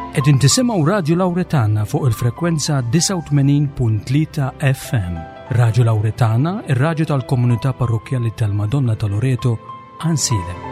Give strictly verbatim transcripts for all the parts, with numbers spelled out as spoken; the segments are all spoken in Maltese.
Qegħdin tisimgħu Radju Lawretana fuq il-frekwenza disgħa u tmenin punt tlieta F M. Radju Lawretana, ir-radju tal-komunità parrokkjali tal-Madonna ta' Loreto, Għajnsielem.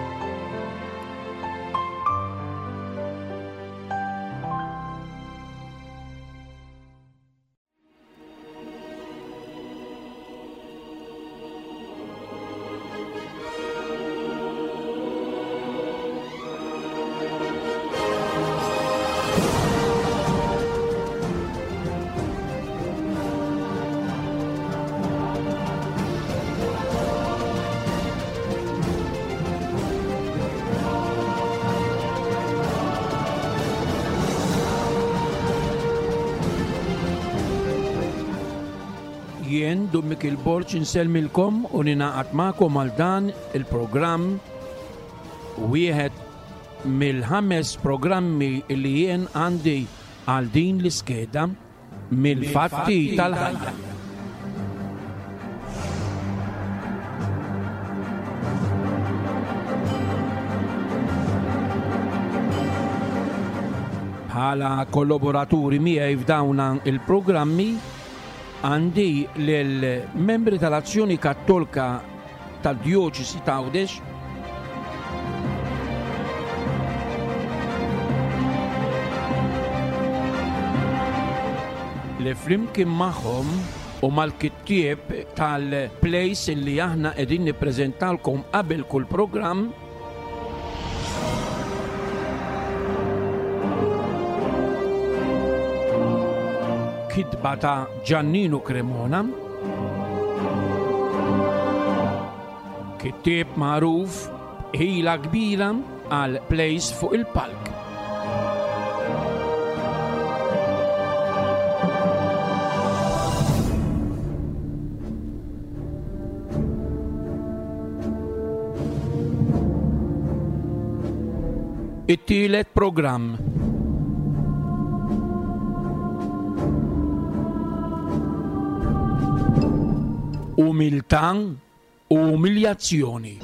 Jien Dun Mikiel Borg insellmilkom u ninaqat magħkom għal dan il-programm, wieħed mill-ħames programmi li jien għandi għal din l-iskeda mill-fatti tal-ħajja. Bħala kollaboraturi miegħi f'dawn il-programmi għandi lill-membri tal-Azzjoni Kattolika tad-Djoċesi ta' Għawdex, li flimkien magħhom u mal-kittieb tal-place li aħna qegħdin nippreżentalkom qabel kull programm, kitba ta' Giannino Cremona, kittieb magħruf ħila kbira għal plays fuq il-palk. It-tielet programm. Umiltà u umiljazzjoni.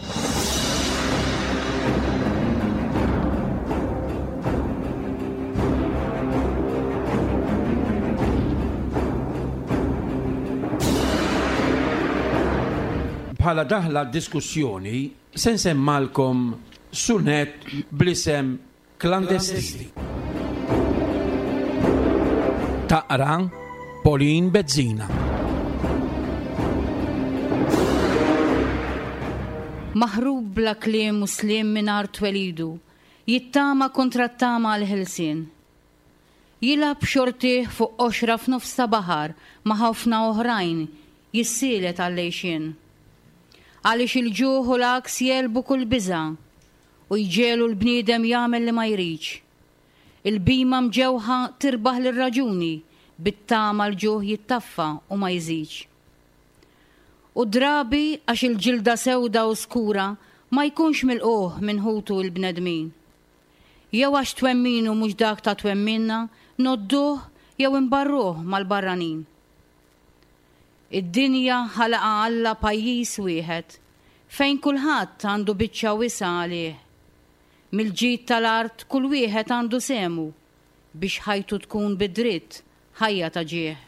Bħala daħla diskussjoni se nsemmalkom sunet bl-isem Klandestini. Taqra Pauline Bezzina. Maħrub bla kliem u sliem minn art twelidu, jittama kontra t-tama għal-ħelsien. Jilab xortih fuq qoxra f'nofs ta' baħar ma' ħafna oħrajn jissielet għall-għejxien. Għaliex il-ġuħ u l-għaks jelbu kull biża' u jġelu l-bniedem jagħmel li ma jridx. Il-bima mġewħa tirbaħ lir-raġuni bit-tama l-ġuħ jittaffa u ma jżidx. U drabi għax il-ġilda sewda u skura ma jkunx milquh minn ħutu l-bnedmin. Jew għax twemminu mhux dak ta' twemminna, nodduh jew imbarruh mal-barranin. Id-dinja ħalaqa Alla pajjiż wieħed fejn kulħadd għandu biċċa wisa għalih. Mill-ġid tal-art kull wieħed għandu semu biex ħajtu tkun bid-dritt ħajja ta' ġieħ.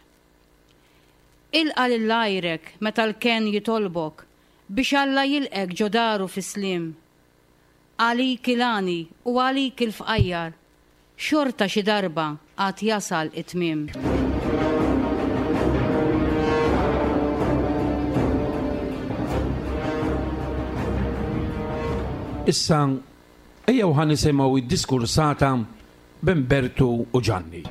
Ilqa lil għajrek meta l-ken jitolbok biex Alla jilqek ġo daru fis-sliem. Għalik il-għani u għalik il-fqajjar, xorta xi darba għad jasal it-tmiem. Issa, ejjew ħa nisimgħu id-diskursata b'Umberto u Gianni.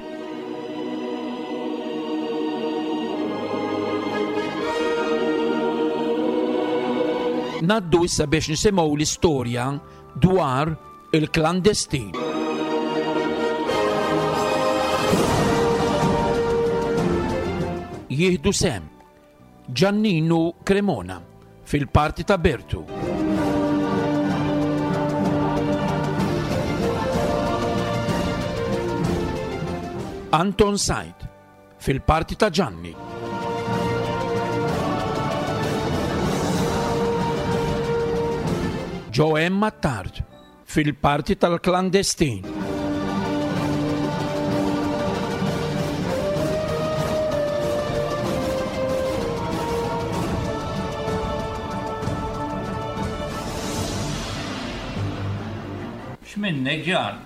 Naddu issa biex nisimgħu l-istorja dwar il-klandestin. Jieħdu sem Giannino Cremona fil-parti ta' Bertu. Anton Said fil-parti ta' Gianni. Joe Attard fil-parti tal-klandestin. X'minnek Ġan?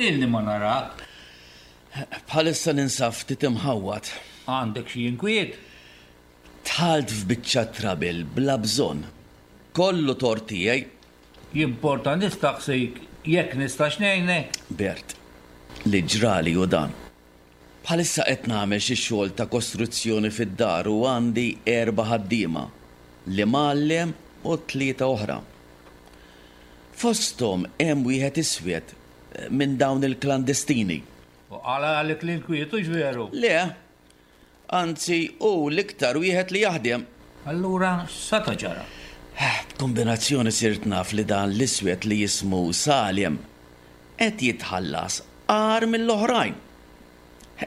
Ilni ma narak. Bħalissa ninsab ftit imħawwad. Għandek xi inkwiet? Dħalt f'biċċa trouble bla bżonn. Kollu tort tiegħi. Jimporta nistaqsik jekk nistax ngħinek? Bert, li ġrali hu dan. Bħalissa qed nagħmel xi xogħol ta' kostruzzjoni fid-dar u għandi erba' ħaddiema, l-imgħallem u tlieta oħra. Fosthom hemm wieħed iswed minn dawn il-klandestini. U qala għalik l-inkwiet hux veru? Le, anzi hu l-iktar wieħed li jaħdem. Allura x'sata' ġara? B'kombinazzjoni sirt naf li dan l-iswed li jismu Salem qed jitħallas agħar mill-oħrajn.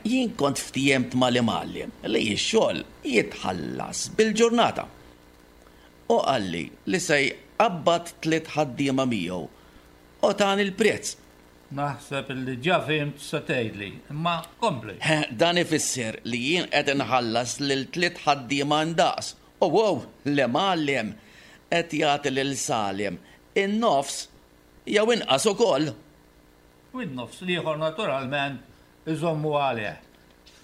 Jien kont ftiehemt mal-imgħallem li x-xogħol jitħallas bil-ġurnata. U qalli li se jqabbad tliet ħaddiema miegħu u tani l-prezz. Naħseb li ġa fhimt se tgħidli, imma kompli. Dan ifisser li jien qed inħallas lil tliet ħaddiema ndaqs. U wow, l-imgħallem qed jagħti lil Salem in-nofs jew inqas ukoll. U n-nofs l-ieħor naturalment iżommu għalih.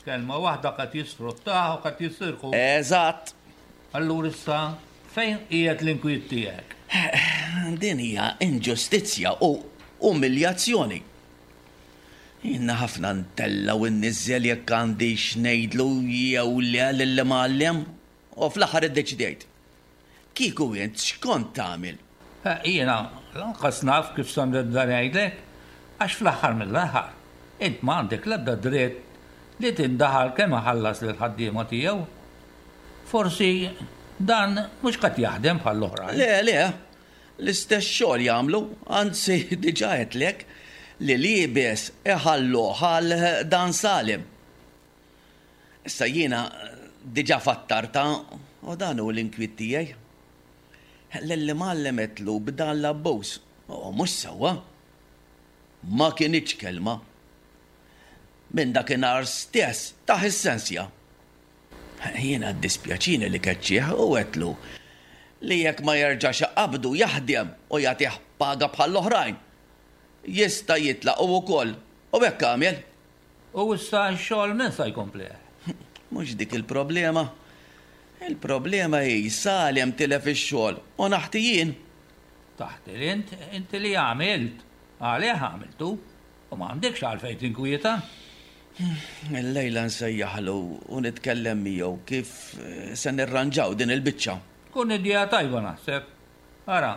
Kelma waħda qed jisfruttah u qed jisirqu. Eżatt. Allura issa fejn qiegħed l-inkwiet tiegħek? Din hija inġustizzja u umiljazzjoni. Jiena ħafna ntella' u nniżżel jekk għandix ngħidlu jew le lill-imgħallem u fl-aħħar iddeċidejt. Kieku int x'kont tagħmel? Jiena lanqas naf kif se nibda ngħidlek, għax fl-aħħar mill-aħħar int ma għandek l-ebda dritt li tindaħal kemm iħallas lill-ħaddiema tiegħu. Forsi dan mhux qed jaħdem bħall-oħrajn. Le, le, l-istess xogħol jagħmlu, anzi diġà għedtlek li liebes iħalluh għal dan Salem. Issa jiena diġà fattarta u dan hu l-inkwiet tiegħi. Lill-imgħallem għedtlu b'dan l-abbuż, u mhux sewwa. Ma kinitx kelma. Minn dakinhar stess tah is-sensja. Jiena ddispjaċini li keċċih u għedtlu li jekk ma jerġax iqabbdu jaħdem u jagħtih paga bħall-oħrajn, jista' jitlaq hu wkoll u hekk għamel. U issa x-xogħol min se jkomplih? Mhux dik il-problema. Il-problema hi Salem tilef ix-xogħol u naħti jien. Taħti int, inti li għamilt, għalih għamiltu u ma għandekx għalfejn tinkwieta. Illejla nsejjaħlu u nitkellem miegħu kif se nirranġaw din il-biċċa. Tkun idea tajba naħseb. Ara,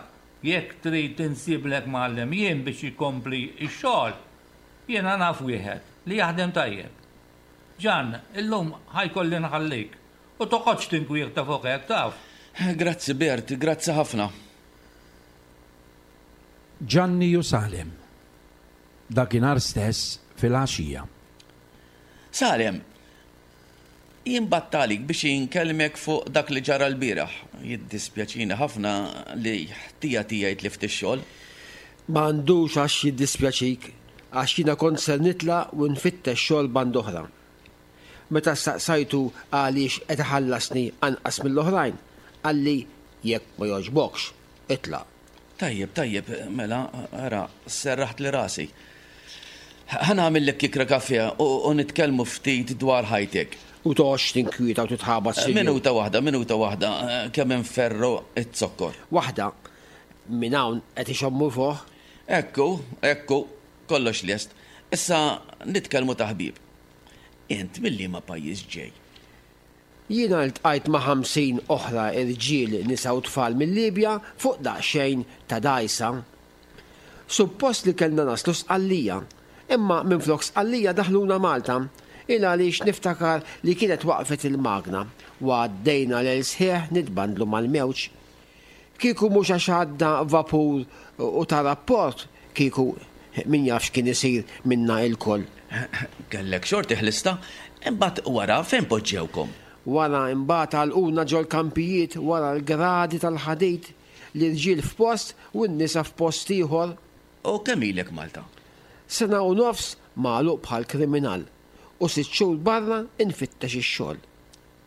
jekk trid tinsiblek mgħallem jien biex ikompli x-xogħol, jiena naf wieħed li jaħdem tajjeb. Ġan, illum ħajkolli nħallik u toqgħodx tinkwieta fuq hekk taf. Grazzi Bert, grazzi ħafna. Ġanni u Salem. Dakinhar stess fil-għaxija. Salem, jien battalik biex inkellmek fuq dak li ġara l-bieraħ. Jiddispjaċini ħafna li ħtija tiegħi tlift ix-xogħol. Ma għandux għax jiddispjaċik, għax jiena kont ser nitlaq u nfittex xogħol band oħra. Meta staqsajtu għaliex qed iħallasni anqas mill-oħrajn, qalli jekk ma jogħġbokx, itlaq. Tajjeb, tajjeb, mela, ara, serraħt li rasi. Ħa nagħmillek kikra kafè u nitkellmu ftit dwar ħajtek. U toqgħodx tinkwieta u titħabat sinjur. Minuta waħda, minuta waħda, kemm inferru z-zokkor. Waħda, minn hawn qed ixommu fuq. Ekku, ekku, kollox lest. Issa nitkellmu ta' ħbieb. Int mill-liema pajjiż ġej? Jiena ltqajt ma' ħamsin oħra irġiel, nisa u tfal mill-Libja fuq daqsxejn ta' dgħajsa. Suppost li kellna naslu Sqallija, imma minflok Sqallija daħluna Malta, il għaliex niftakar li kienet waqfet il-magna u għaddejna lejl sħiħ nitbandlu mal-mewġ. Kieku mhux għax għadda vapur u ta' rapport, kieku min jaf x'kien isir minna ilkoll. Kellek xorti ħlista, imbagħad wara fejn poġġewkom? Wara imbagħad għalquna ġol-kampijiet wara l-gradi tal-ħadid, l-irġiel f'post u n-nisa f'post ieħor. U kemm ilek Malta? Sena u nofs magħluq bħal kriminal u sitt xhur barra infittex ix-xogħol.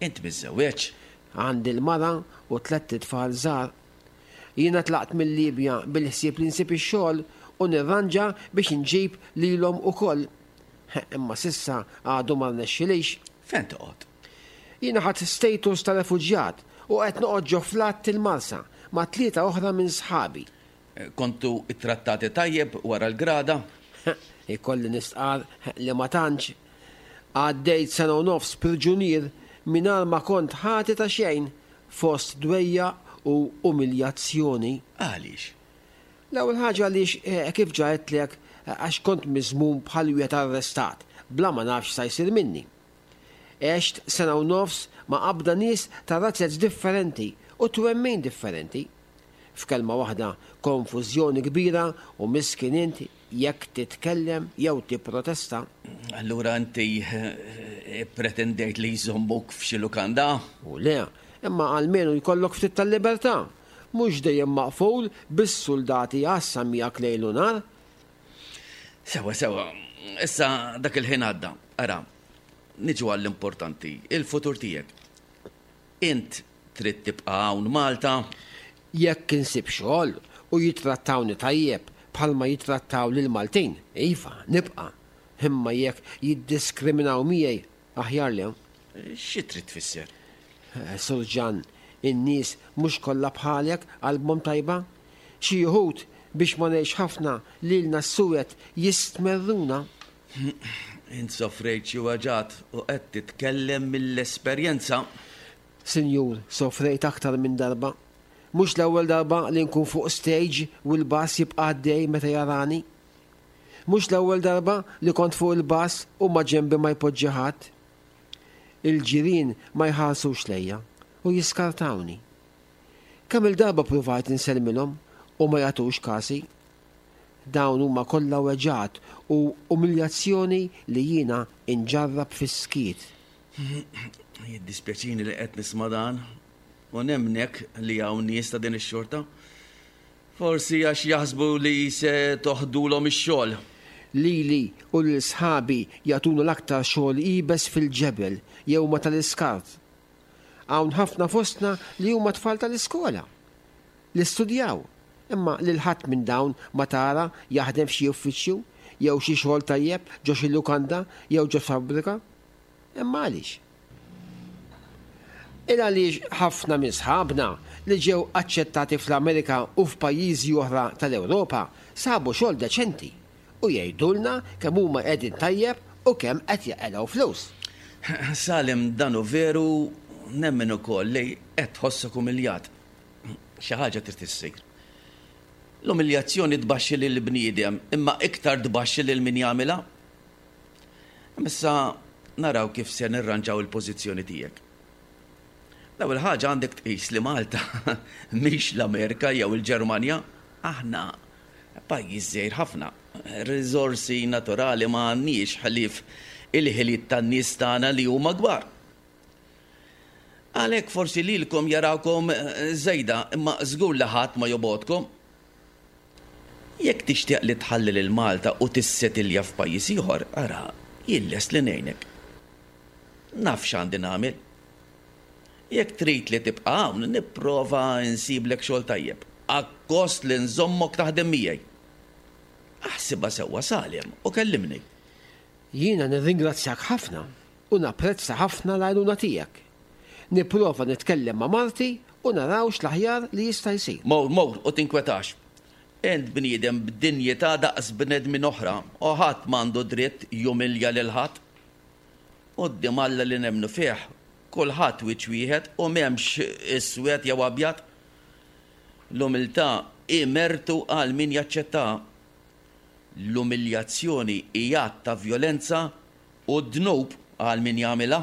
Int miżżewweġ? Għandi l-mara u tlett itfal żgħar. Jiena tlaqt mill-Libja bil-ħsieb li nsib ix-xogħol u nirranġa biex inġib lilhom ukoll. Imma s'issa għadu ma rnexxilix. Fejn toqgħod? Jiena ħadt status ta' refuġjat u qed noqgħod ġo flat il-Marsa ma' tlieta oħra minn sħabi. Kontu ittrattati tajjeb wara l-grada? Ikolli nistqar li ma tantx. Għaddejt sena u nofs priġunier mingħajr ma kont ħati ta' xejn fost dwejjaq u umiljazzjoni. Għaliex? L-ewwel ħaġa għaliex kif ġa għedtlek għax kont miżmum bħal wieħed arrestat bla ma nafx sa jsir minni. Għext sena u nofs ma' qabda nies ta' razzez differenti u twemmin differenti. F'kelma waħda, konfużjoni kbira u miskin int jekk titkellem jew tipprotesta. Allura inti pretendejt li jżommuk f'xi lukanda? U le, imma almenu jkollok ftit tal-libertà. Mhux dejjem maqful bis-soldati għassa miegħek lejl u nhar. Sewa, sewa, issa dak il-ħin għadda. Ara, niġu għall-importanti, il-futur tiegħek. Int trid tibqa' hawn Malta? Jekk insib xogħol u jitrattawni tajjeb bħalma jitrattaw lil Maltin, iva, nibqa'. Imma jekk jiddiskriminaw miegħi, aħjar le. Xi trid tfisser? Sur Ġan, in-nies mhux kollha bħalek qalbhom tajba. Xi wħud biex ma ngħix ħafna lilna s-suwed jistmerruna. Int sofrejt xi weġgħat u qed titkellem mill-esperjenza. Sinjur, sofrejt aktar minn darba. Mhux l-ewwel darba li nkun fuq stage u l-bass jibqa' għaddej meta jarani. Mhux l-ewwel darba li kont fuq il-bass u ma ġenbi ma jpoġġi ħadd. Il-ġirien ma jħarsux lejja u jiskartawni. Kemm il-darba pruvajt insellmilhom u ma jagħtux kasi. Dawn huma kollha weġgħat u umiljazzjoni li jiena inġarrab fis-skiet. Jiddispjaċini li qed nisma' dan u nemnek li hawn nies ta' din ix-xorta. Forsi għax jaħsbu li se toħdulhom ix-xogħol. Lili u lil sħabi jagħtuna l-aktar xogħol iebes fil-ġebel jew ma tal-iskart. Hawn ħafna fostna li huma tfal tal-iskola li studjaw, imma lil ħadd minn dawn ma tara jaħdem f'xi uffiċċju jew xi xogħol tajjeb ġo xi lukanda jew ġo fabbrika. Imma għaliex? Il għaliex ħafna minn sħabna li ġew aċċettati fl-Amerika u f'pajjiżi oħra tal-Ewropa sabu xogħol deċenti u jgħidulna kemm huma qegħdin tajjeb u kemm qed jaqilgħu flus. Salim, dan hu veru, nemmen ukoll li qed tħossok umiljat. Xi ħaġa trid issir. L-umiljazzjoni tbaxxi lil bniedem, imma iktar tbaxxi lil min jagħmilha. Issa naraw kif se nirranġaw il-pożizzjoni tiegħek. L-ewwel ħaġa għandek tqis li Malta mhix l-Amerika jew il-Ġermanja, aħna pajjiż żgħir ħafna. Riżorsi naturali ma għandniex ħlief il-ħiliet tan-nies tagħna li huma kbar. Għalhekk forsi lilkom jarawkom żejda, imma żgur li ħadd ma jobgħodkom. Jekk tixtieq li tħalli lil Malta u tissetilja f'pajjiż ieħor, ara, jien lest li ngħinek. Naf x'għandi nagħmel. Jekk trid li tibqa' hawn, nipprova nsiblek xogħol tajjeb, akkost li nżommok taħdem miegħi. Aħsibha sewwa Salim u kellimni. Jiena nirringrazzjak ħafna u napprezza ħafna l-għajnuna tiegħek. Nipprova nitkellem ma' marti u naraw x'l-aħjar li jista' jsir. Mor, mor u tinkwetax. Int bniedem b'dinjità daqs bnedmin oħra u ħadd m'għandu dritt jumilja lil ħadd. Quddiem Alla li nemmnu fih, kulħadd wiċċ wieħed u m'hemmx iswed jew abjad. L-umiltà hi mertu għal min jaċċettaha. L-umiljazzjoni hi att ta' vjolenza u dnub għal min jagħmilha.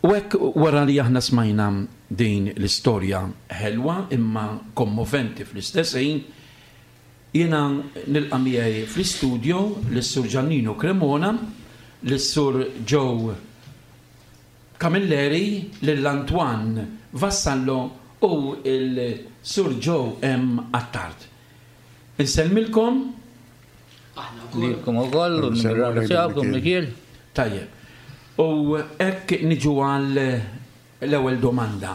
U hekk wara li aħna smajna din l-istorja ħelwa imma kommoventi fl-istess ħin, jiena nilqa' miegħi fl-istudio lis-Sur Giannino Cremona, lis-Sur Joe Camilleri, lil Antoine Vassallo u il-Sur Joe M. Attard. Insellmilkom. Lilkom ukoll u nirringrazzjawkom, Mikiel. Tajjeb. U hekk niġu għal l-ewwel domanda.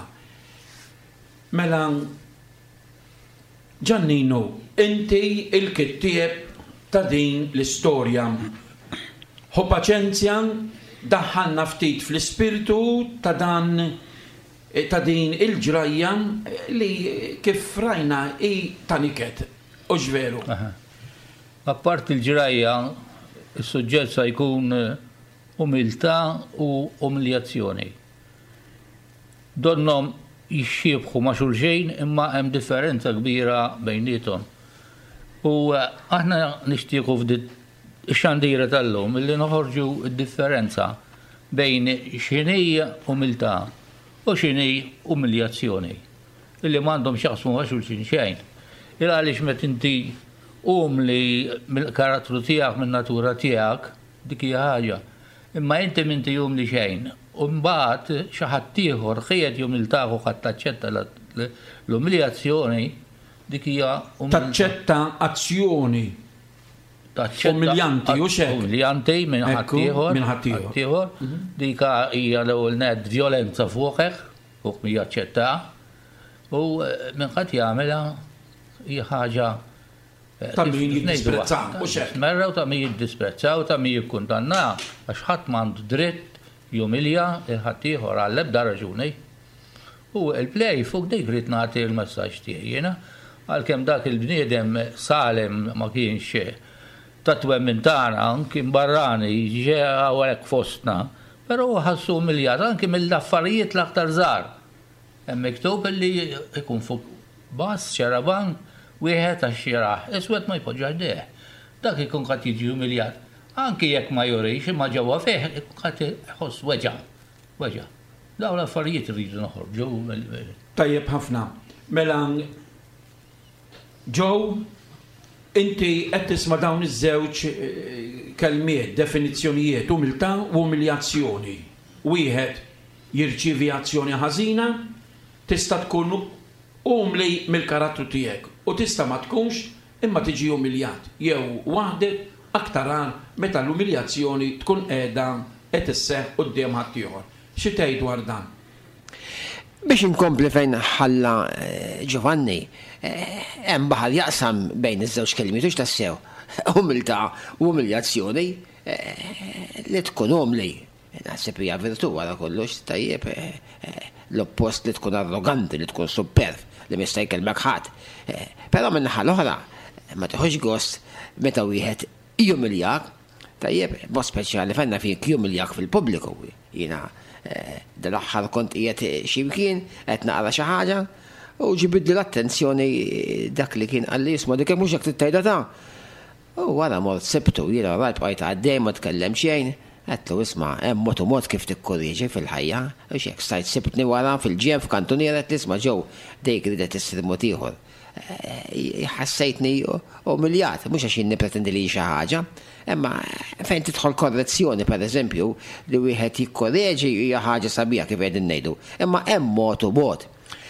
Mela, Giannino, inti il-kittieb ta' din l-istorja. Ħu paċenzja, daħħalna ftit fl-ispirtu ta' dan ta' din il-ġrajja li kif rajna hi ta' niket. U veru? Apart il-ġrajja, is-suġġett sa jkun umiltà u umiljazzjoni. Donnhom jixxiebħu ma' xulxejn, imma hemm differenza kbira bejniethom. U aħna nixtiequ f'din ix-xandira tal-lum illi noħorġu d-differenza bejn x'inhi umiltà u x'inhi umiljazzjoni, illi m'għandhom x'jaqsmu ma' xulxin xejn. Il għaliex meta inti umli mill-karattru tiegħek, min-natura tiegħek, dik hija ħaġa. Imma inti m'inti umli xejn, u mbagħad xi ħadd ieħor qiegħed jumiltak u ħadd taċċetta l-umiljazzjoni, dik hija Taċċetta azzjoni umiljanti, u xek. Umiljanti minn ħaddieħor. Minn ħaddieħor. Dik hija l-ewwel nett vjolenza fuqek, fuq min jaċċetta, u minn ħadd jagħmilha hija ħaġa ta' min jiddisprezza, u xek. Merra u ta' min jiddisprezza u ta' min jikkundanna, għax ħadd m'għandu dritt jumilja il-ħaddieħor għall-ebda raġuni. U il-play fuq dik rrid nagħti l-messaġġ tiegħi jiena, għalkemm dak il-bniedem Salem ma kienx ta' twemmin tagħna, kien barrani, ġie hawnhekk fostna, però ħassu umiljat anki mill-affarijiet l-aktar żgħar. Hemm miktub illi jkun fuq bus, xarabank, wieħed għax jaraħ, iswed ma jpoġġax deh. Dak ikun qed jiġi umiljat. Anki jekk ma jurix, imma ġewwa fih ikun qed iħoss weġa'. Weġa'. Dawn l-affarijiet irridu noħorġu. Tajjeb ħafna. Mela, Joe, inti qed tisma' dawn iż-żewġ kelmiet, definizzjonijiet, umiltà u umiljazzjoni. Wieħed jirċievi azzjoni ħażina, tista' tkun umli mill-karattru tiegħek u tista' ma tkunx imma tiġi umiljat jew waħdek, aktar għar meta l-umiljazzjoni tkun qiegħda qed isseħħ quddiem ħaddieħor. Xi tgħid dwar dan? Biex inkompli fejn ħalla Giovanni, hemm baħar jaqsam bejn iż-żewġ kelmiet, hux tassew. Umiltà u umiljazzjoni, li tkun umli. Naħseb hija virtù wara kollox, tajjeb, l-oppost li tkun arroganti, li tkun superb, li ma jista' jkellmek ħadd. Però min-naħa l-oħra, ma tieħux gost meta wieħed jumiljak, tajjeb, mod speċjali fejn fik jumiljak fil-pubbliku. Jiena dal-aħħar kont qiegħed xi mkien qed naqra xi ħaġa u ġibidli l-attenzjoni dak li kien qalli, isma' dik mhux hekk tgħidha ta'. U wara mort sibtu, jiena rajt bqajt għaddej ma tkellem xejn, għedtlu isma' hemm mod u mod kif tikkorriġi fil-ħajja, u x'hekk stajt sibtni wara fil-ġenb f'kantuniera qed nisma' ġew dejk ridet issir mod ieħor. Ħassejtni umiljat, mhux għax jien nippretendi li xi ħaġa, imma fejn tidħol korrezzjoni pereżempju li wieħed jikkorreġi hija ħaġa sabiħa kif qegħdin ngħidu, imma hemm mod u mod.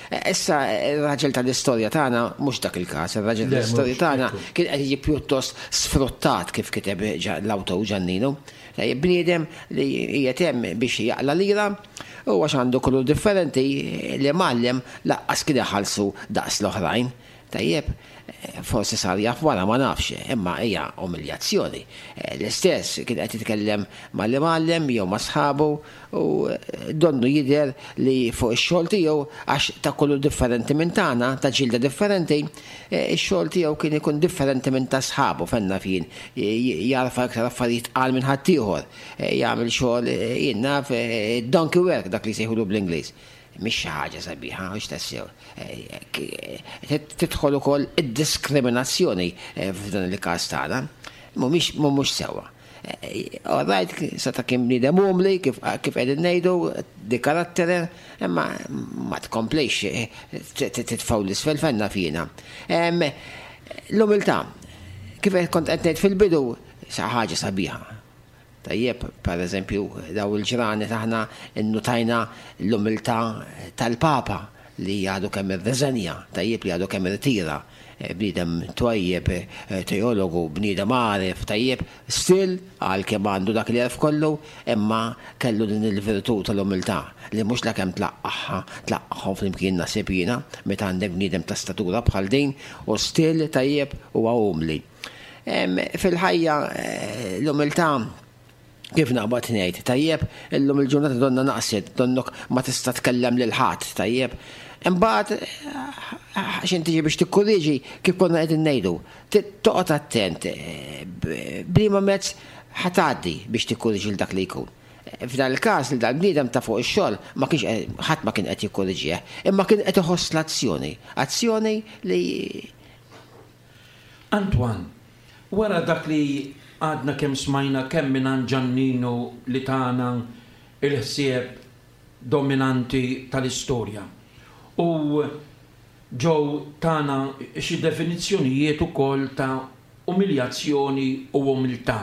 Issa ir-raġel tal-istorja tagħna mhux dak il-każ, ir-raġel tal-istorja tagħna kien qed jiġi pjuttost sfruttat kif kiteb l-awtur Giannino. Bniedem li qiegħed hemm biex jaqla lira u għax għandu kulur differenti li mgħallem laqqas kien iħallsu daqs l-oħrajn. Tajjeb, forsi sar jaf wara ma nafx, imma hija umiljazzjoni. L-istess kien qed jitkellem mal-imgħallem jew ma' sħabu u donnu jidher li fuq ix-xogħol tiegħu għax ta' kulur differenti minn tagħna, ta' ġilda differenti, ix-xogħol tiegħu kien ikun differenti minn ta' sħabu fenna fien jarfa iktar affarijiet qal minn ħaddieħor, jagħmel xogħol jien naf donkey work dak li jsejħulu bl-Ingliż. Mhix xi ħaġa sabiħa, mhux tassew. Tidħol ukoll id-diskriminazzjoni f'dan il-każ tagħna. Mhumiex mhumiex sewwa. All right, seta' kien bniedem umli, kif kif qegħdin ngħidu, di karattere, imma ma tkomplix titfgħu l-isfel fenna fina. L-umiltà, kif kont qed ngħid fil-bidu, sa ħaġa sabiħa. Tajjeb, per eżempju, daw il-ġranet aħna innutajna l-umiltà tal-Papa li għadu kemm irreżenja, tajjeb li għadu kemm irtira, bniedem twajjeb, teologu, bniedem għaref, tajjeb, still għal kemm għandu dak li għarf kollu, imma kellu din il-virtù tal-umiltà li mhux la kemm tlaqqaħha, tlaqqaħhom flimkien nasib jiena, meta għandek bniedem ta' statura bħal din u still tajjeb huwa umli. Fil-ħajja l-umiltà kif naqbad ngħid, tajjeb, illum il-ġurnata donna naqset, donnok ma tista' tkellem lil ħadd, tajjeb. Imbagħad x'in tiġi biex tikkorriġi kif konna qegħdin ngħidu, toqgħod attent b'liema mezz ħa tgħaddi biex tikkorriġi l dak li jkun. F'dan il-każ li dal-bniedem ta' fuq ix-xogħol ma kienx ħadd ma kien qed jikkorriġih, imma kien qed iħoss l-azzjoni, azzjoni li Antoine, wara dak li għadna kemm smajna kemm minn Ġannino li tana il-ħsieb dominanti tal-istorja. U ġew tana xi definizzjonijiet ukoll ta' umiljazzjoni u umiltà.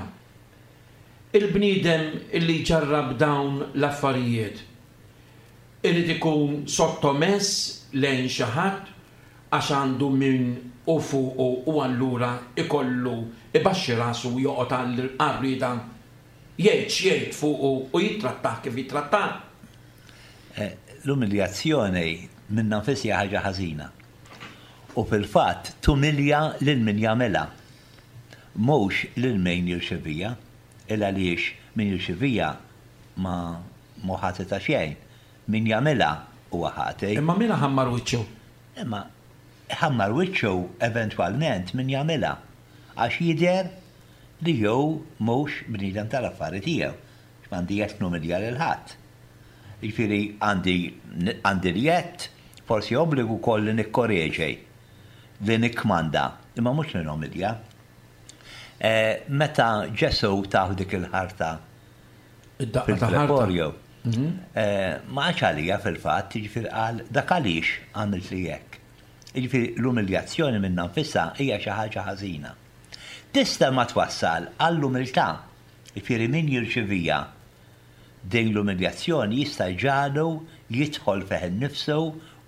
Il-bniedem illi ġarrab dawn l-affarijiet irid ikun sottomess lejn xi ħadd għax għandu min u fuqu u allura ikollu ibaxxi rasu u joqgħod għall-rieda jgħid x'jgħid fuqu u jittrattah kif jittrattah. L-umiljazzjoni minnha nfisha ħaġa ħażina. U fil-fatt tumilja lil min jagħmilha. Mhux lil min jirċevija, il għaliex min jirċevija ma mhu ħati ta' xejn. Min jagħmilha huwa ħati. Imma min ħammar wiċċu? Imma ħammar wiċċu eventwalment min jagħmilha għax jidher li jew mhux bniedem tal-affari tiegħu. M'għandi jett numilja lil ħadd. Jiġifieri għandi għandi l-jett, forsi obbligu wkoll li nikkoreġi, li nikkmanda, imma mhux li numilja. Meta Ġesu taħ dik il-ħarta Id-daqqa ta' ħarta. fil-pretorju, ma għax għalija fil-fatt, jiġifieri qal dak għaliex għamilt li hekk. Jiġifieri l-umiljazzjoni minnha nfisha hija xi ħaġa ħażina. Tista' ma twassal għall-umiltà, jiġifieri min jirċivija din l-umiljazzjoni jista' jġagħlu jidħol fih innifsu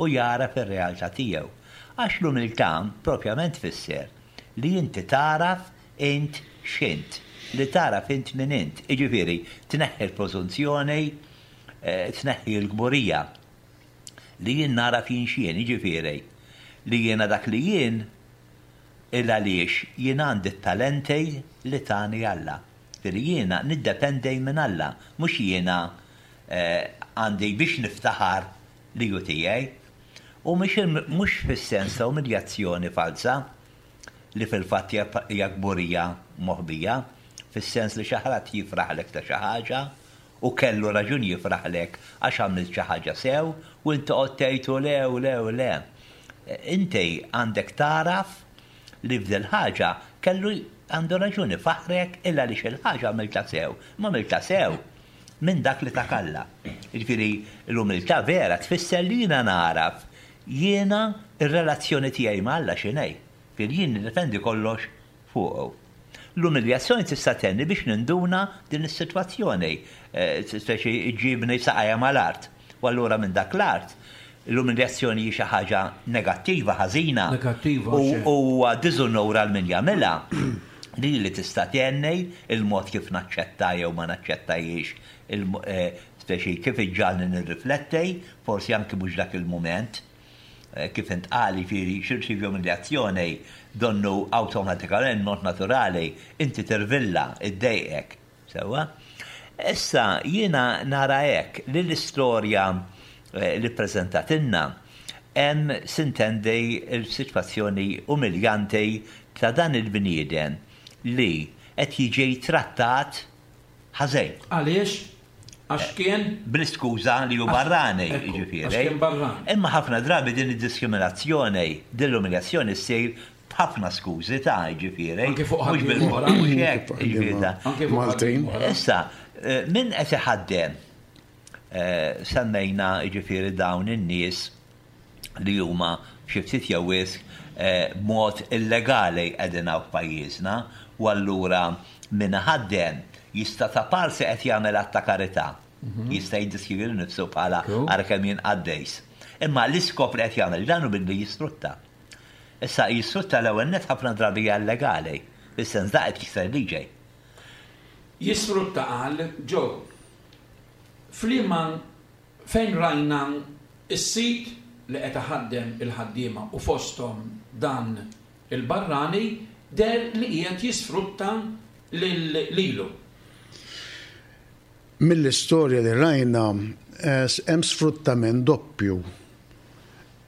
u jara fir-realtà tiegħu. Għax l-umiltà propjament tfisser li inti taraf int x'int, li taraf int min int. Jiġifieri tneħħi l-preżunzjoni, tneħħi l-kburija li jien naraf jien x'jien, jiġifieri li jiena dak li jien il għaliex jien għandi t-talenti li tani Alla. Jiġifieri jiena niddependi minn Alla, mhux jiena għandi biex niftaħar li hu tiegħi. U mhux fis-sens ta' umiljazzjoni falsa li fil-fatt hija kburija moħbija, fis-sens li xi ħadd jifraħlek ta' xi ħaġa u kellu raġun jifraħlek għax għamilt xi ħaġa sew u inti toqgħod tgħid le u le u le. Inti għandek taraf li f'dil ħaġa kellu għandu raġuni faħrek illa li xil-ħaġa għamilta sew. Ma għamilta sew minn dak li takalla. Jiġifieri l-umiltà vera tfisser li jiena naraf jiena ir-relazzjoni tiegħi ma' Alla x'inhi. Jiġifieri jien niddependi kollox fuqu. L-umiljazzjoni tista' tenni biex ninduna din is-sitwazzjoni, speċi ġibni saqajja mal-art. U allura minn dak l-art l-umiljazzjoni hi xi ħaġa negattiva, ħażina. Negattiva, U xejn. huwa diżonora għal min jagħmilha. Li li tista' tenni il-mod kif naċċetta jew ma naċċettajiex, speċi kif iġġalni nirrifletti, forsi anki mhux dak il-mument, kif intqali jiġifieri xirċivi umiljazzjoni donnu awtomatikament mod naturali inti tirvilla iddejqek. Sewwa? Issa jiena nara hekk li l-istorja li preżentatilna hemm sintendi l-sitwazzjoni umiljanti ta' dan il-bniedem li qed jiġi trattat ħażin. Għaliex? Għax kien? Bl-iskuża li hu barrani, Ekku, jiġifieri. għax kien barrani. Imma ħafna drabi din id-diskriminazzjoni, din l-umiljazzjoni ssir B'ħafna skużi ta' ġifieri. Anke fuq Mhux ħaddiema bil- oħra. mhux hekk, ġifieri ta'. Anke fuq Maltin. ħaddiema oħra. Issa, eh, min qed iħaddem eh, semmejna ġifieri dawn in-nies li huma xi ftit jew wisq eh, b'mod illegali qegħdin hawn f'pajjiżna u allura min ħaddem jista' ta' parsi qed jagħmel att ta' karità. Jista' jiddeskrivi nifsu bħala Cool. ara kemm jien qaddejs. Imma l-iskop li qed jagħmel dan hu billi jisfrutta. Issa jisfrutta l-ewwel net ħafna drabi hija illegali, fis-sens da qed jikser liġi. Jisfrutta qal ġo. F'liema fejn rajna is-sit li qed iħaddem il-ħaddiema u fosthom dan il-barrani deher li qiegħed jisfrutta lil lilu. Mill-istorja li rajna eh, hemm sfruttament doppju.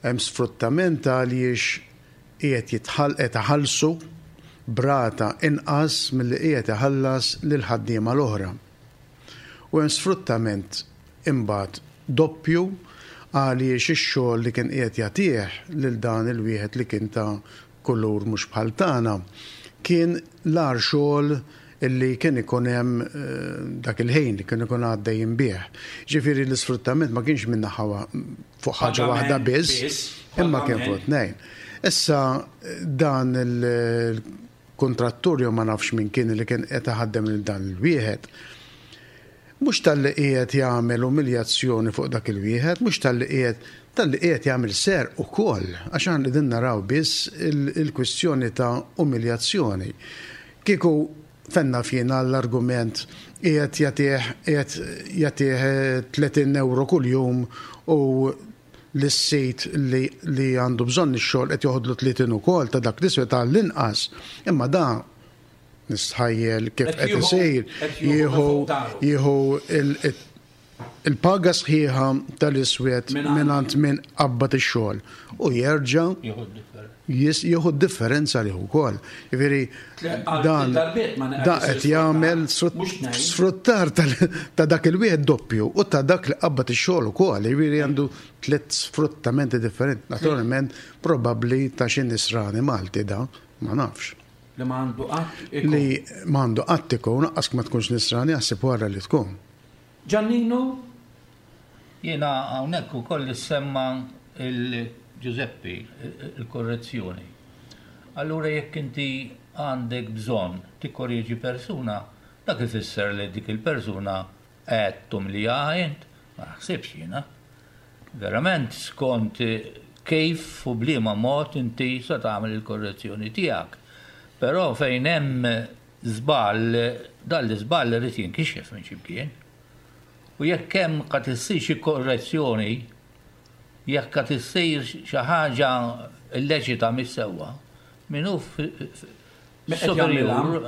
Hemm sfruttament għaliex qiegħed jitħall qed iħallsu b'rata inqas milli qiegħed iħallas lil ħaddiema l-oħra. U hemm sfruttament imbagħad doppju għaliex ix-xogħol li kien qiegħed jagħtih lil dan il-wieħed li kien ta' kulur mhux bħal tagħna kien l-agħar xogħol illi kien ikun hemm eh, dak il-ħin li kien ikun għaddejjin bih. Ġifieri l-isfruttament ma kienx minn naħa wa- fuq ħaġa Pagament waħda biss, biss, imma kien pagament. fuq tnejn. Issa dan il-kontrattur jew ma nafx min kien li kien qed iħaddem lil dan il-wieħed. Mhux talli qiegħed jagħmel umiljazzjoni fuq dak il-wieħed, mhux talli qiegħed talli qiegħed jagħmel serq ukoll, għax aħna qegħdin naraw biss il- il-kwistjoni ta' umiljazzjoni. Kieku fenna fjena l-argument qiegħed jagħtih qiegħed jagħtih tletin euro kuljum u l-sit li, li għandu bżonn ix-xogħol qed joħodlu tletin ukoll ta' dak l-iswed tal-inqas. Imma da nistħajjel kif Qed qed jieħu- isir qed jieħu jieħu fuq daru. jieħu il- il- il-paga sħiħa tal-iswed Mingħand- mingħand min qabbad ix-xogħol u jerġa' Jieħu d-differenza. jis- jieħu d-differenza li wkoll. Jiġifieri Tle- għal dan darbiet ma da qed qed isir jagħmel sfruttar. Mhux tnejn. sfruttar tal- ta' dak il-wieħed doppju u ta' dak li qabbad ix-xogħol ukoll. Jiġifieri għandu tliet sfruttamenti differenti. Naturalment probabbli ta' xi nisrani Malti da, ma nafx. Li ma għandu qatt ikun. Li ma għandu qatt ikun, lanqas ma tkunx nisrani jaħseb wara li tkun. Giannino, Jiena hawnhekk ukoll semma il-Giuseppe, il-korrezzjoni. Allura jekk inti għandek bżonn tikkorreġi persuna, dak ifisser li dik il-persuna qed tumiljaha int, ma naħsibx jiena. Verament skont kif u b'liema mod inti se tagħmel il-korrezzjoni tiegħek. Però fejn hemm żball, dan l-iżball irid jinkixef minn x'imkien. U jekk hemm qed issir xi korrezzjoni, jekk qed issir xi ħaġa illeċita mis-sewwa, min hu Min qed superjur,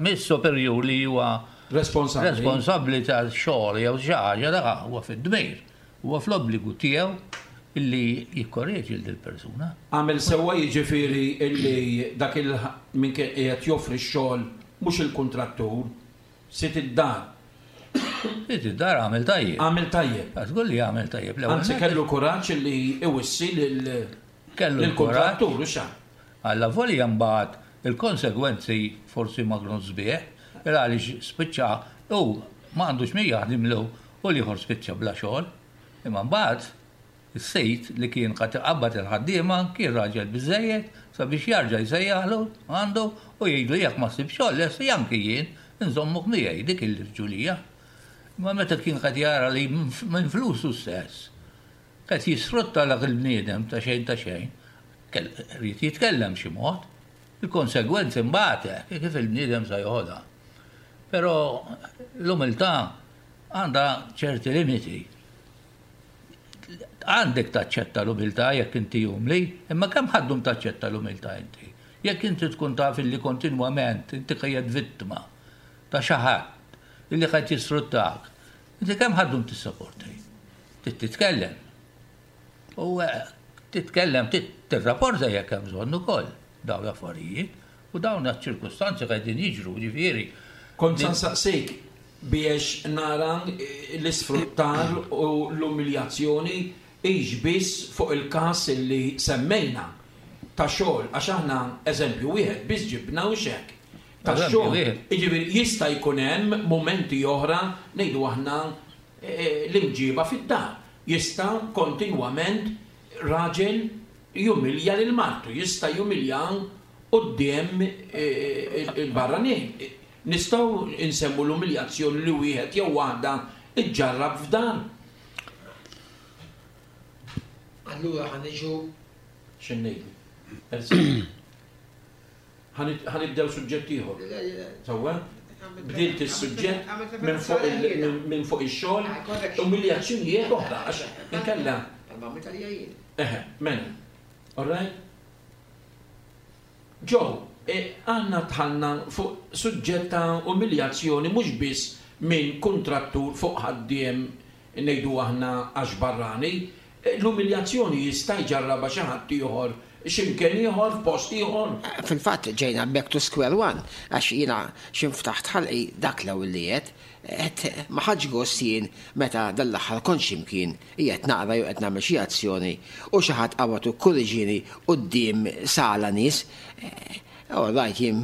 mis-superjur li huwa Responsabbli. responsabbli tal-xogħol jew xi ħaġa dak huwa fid-dmir, huwa fl-obbligu tiegħu illi jikkorreġi lil persuna. Għamel sewwa jiġifieri illi dak il min kien qiegħed joffri x-xogħol mhux il-kuntrattur, sid id-dar. Sid id-dar għamel tajjeb. Għamel tajjeb. Żgur li għamel tajjeb. L-ewwel Anzi nett kellu kuraġġ illi iwissi lil Kellu lill-kuntrattur u xa. Alla volja mbagħad il-konsegwenzi forsi ma kienu sbieħ, il għaliex spiċċa u ma għandux min jaħdimlu u l-ieħor spiċċa bla xogħol. Imma mbagħad is-sejt li kien qed iqabbad il-ħaddiema kien raġel biżejjed sabiex jarġa' jsejjaħlu għandu u jgħidlu jekk ma ssib xogħol lesti anki jien nżommuk miegħi dik il-ġulija. Imma meta kien qed jara li minn flusu stess qed jisfrutta dak il-bniedem ta' xejn ta' xejn, rrid jitkellem xi mod. Il-konsegwenzi mbagħad kif il-bniedem sa joħodha. Però l-umiltà għandha ċerti limiti. Għandek taċċetta l-umiltà jekk inti umli, imma kemm ħa ddum taċċetta l-umiltà inti? Jekk inti tkun taf illi kontinwament inti qiegħed vittma ta' xi ħadd illi qed jisfruttak, inti kemm ħa ddum tissaporti? Trid titkellem. U eh, titkellem, tirrapporta jekk hemm bżonn ukoll dawn l-affarijiet u dawn ċ-ċirkustanzi qegħdin jiġru, ġifieri. Kont sa nsaqsik biex nara l-isfruttar u l-umiljazzjoni hix biss fuq il-każ li semmejna. ta' xogħol, għax aħna eżempju wieħed biss ġibna u xek. Ta' xogħol, jiġifieri jista' jkun hemm mumenti oħra ngħidu aħna l-imġiba fid-dar. Jista' kontinwament raġel jumilja lil martu, jista' jumilja quddiem il-barranin. Nistgħu nsemmu l-umiljazzjoni li wieħed jew waħda iġġarrab f'dan. Allura ħa niġu x'ngħidu? Ħa nibdew suġġett ieħor. Sewwa? Bdilt is-suġġett minn fuq ix-xogħol, umiljazzjonijiet oħra għax inkella. Eħe, mela. All right? Joe, aħna dħalna fuq suġġett ta' umiljazzjoni mhux biss minn kuntrattur fuq ħaddiem ngħidu aħna għax barrani. L-umiljazzjoni jista' jġarrabha xi ħadd ieħor x'imkien ieħor, f'post ieħor. Fil-fatt ġejna back to square one, għax jiena x'inftaħt ħalqi dak l-ewwel li għedt, għedt ma ħadx gost jien meta dal-aħħar kont x'imkien qiegħed naqra jew qed nagħmel xi azzjoni u xi ħadd qabad u kkurriġini quddiem sala nies. All right, jien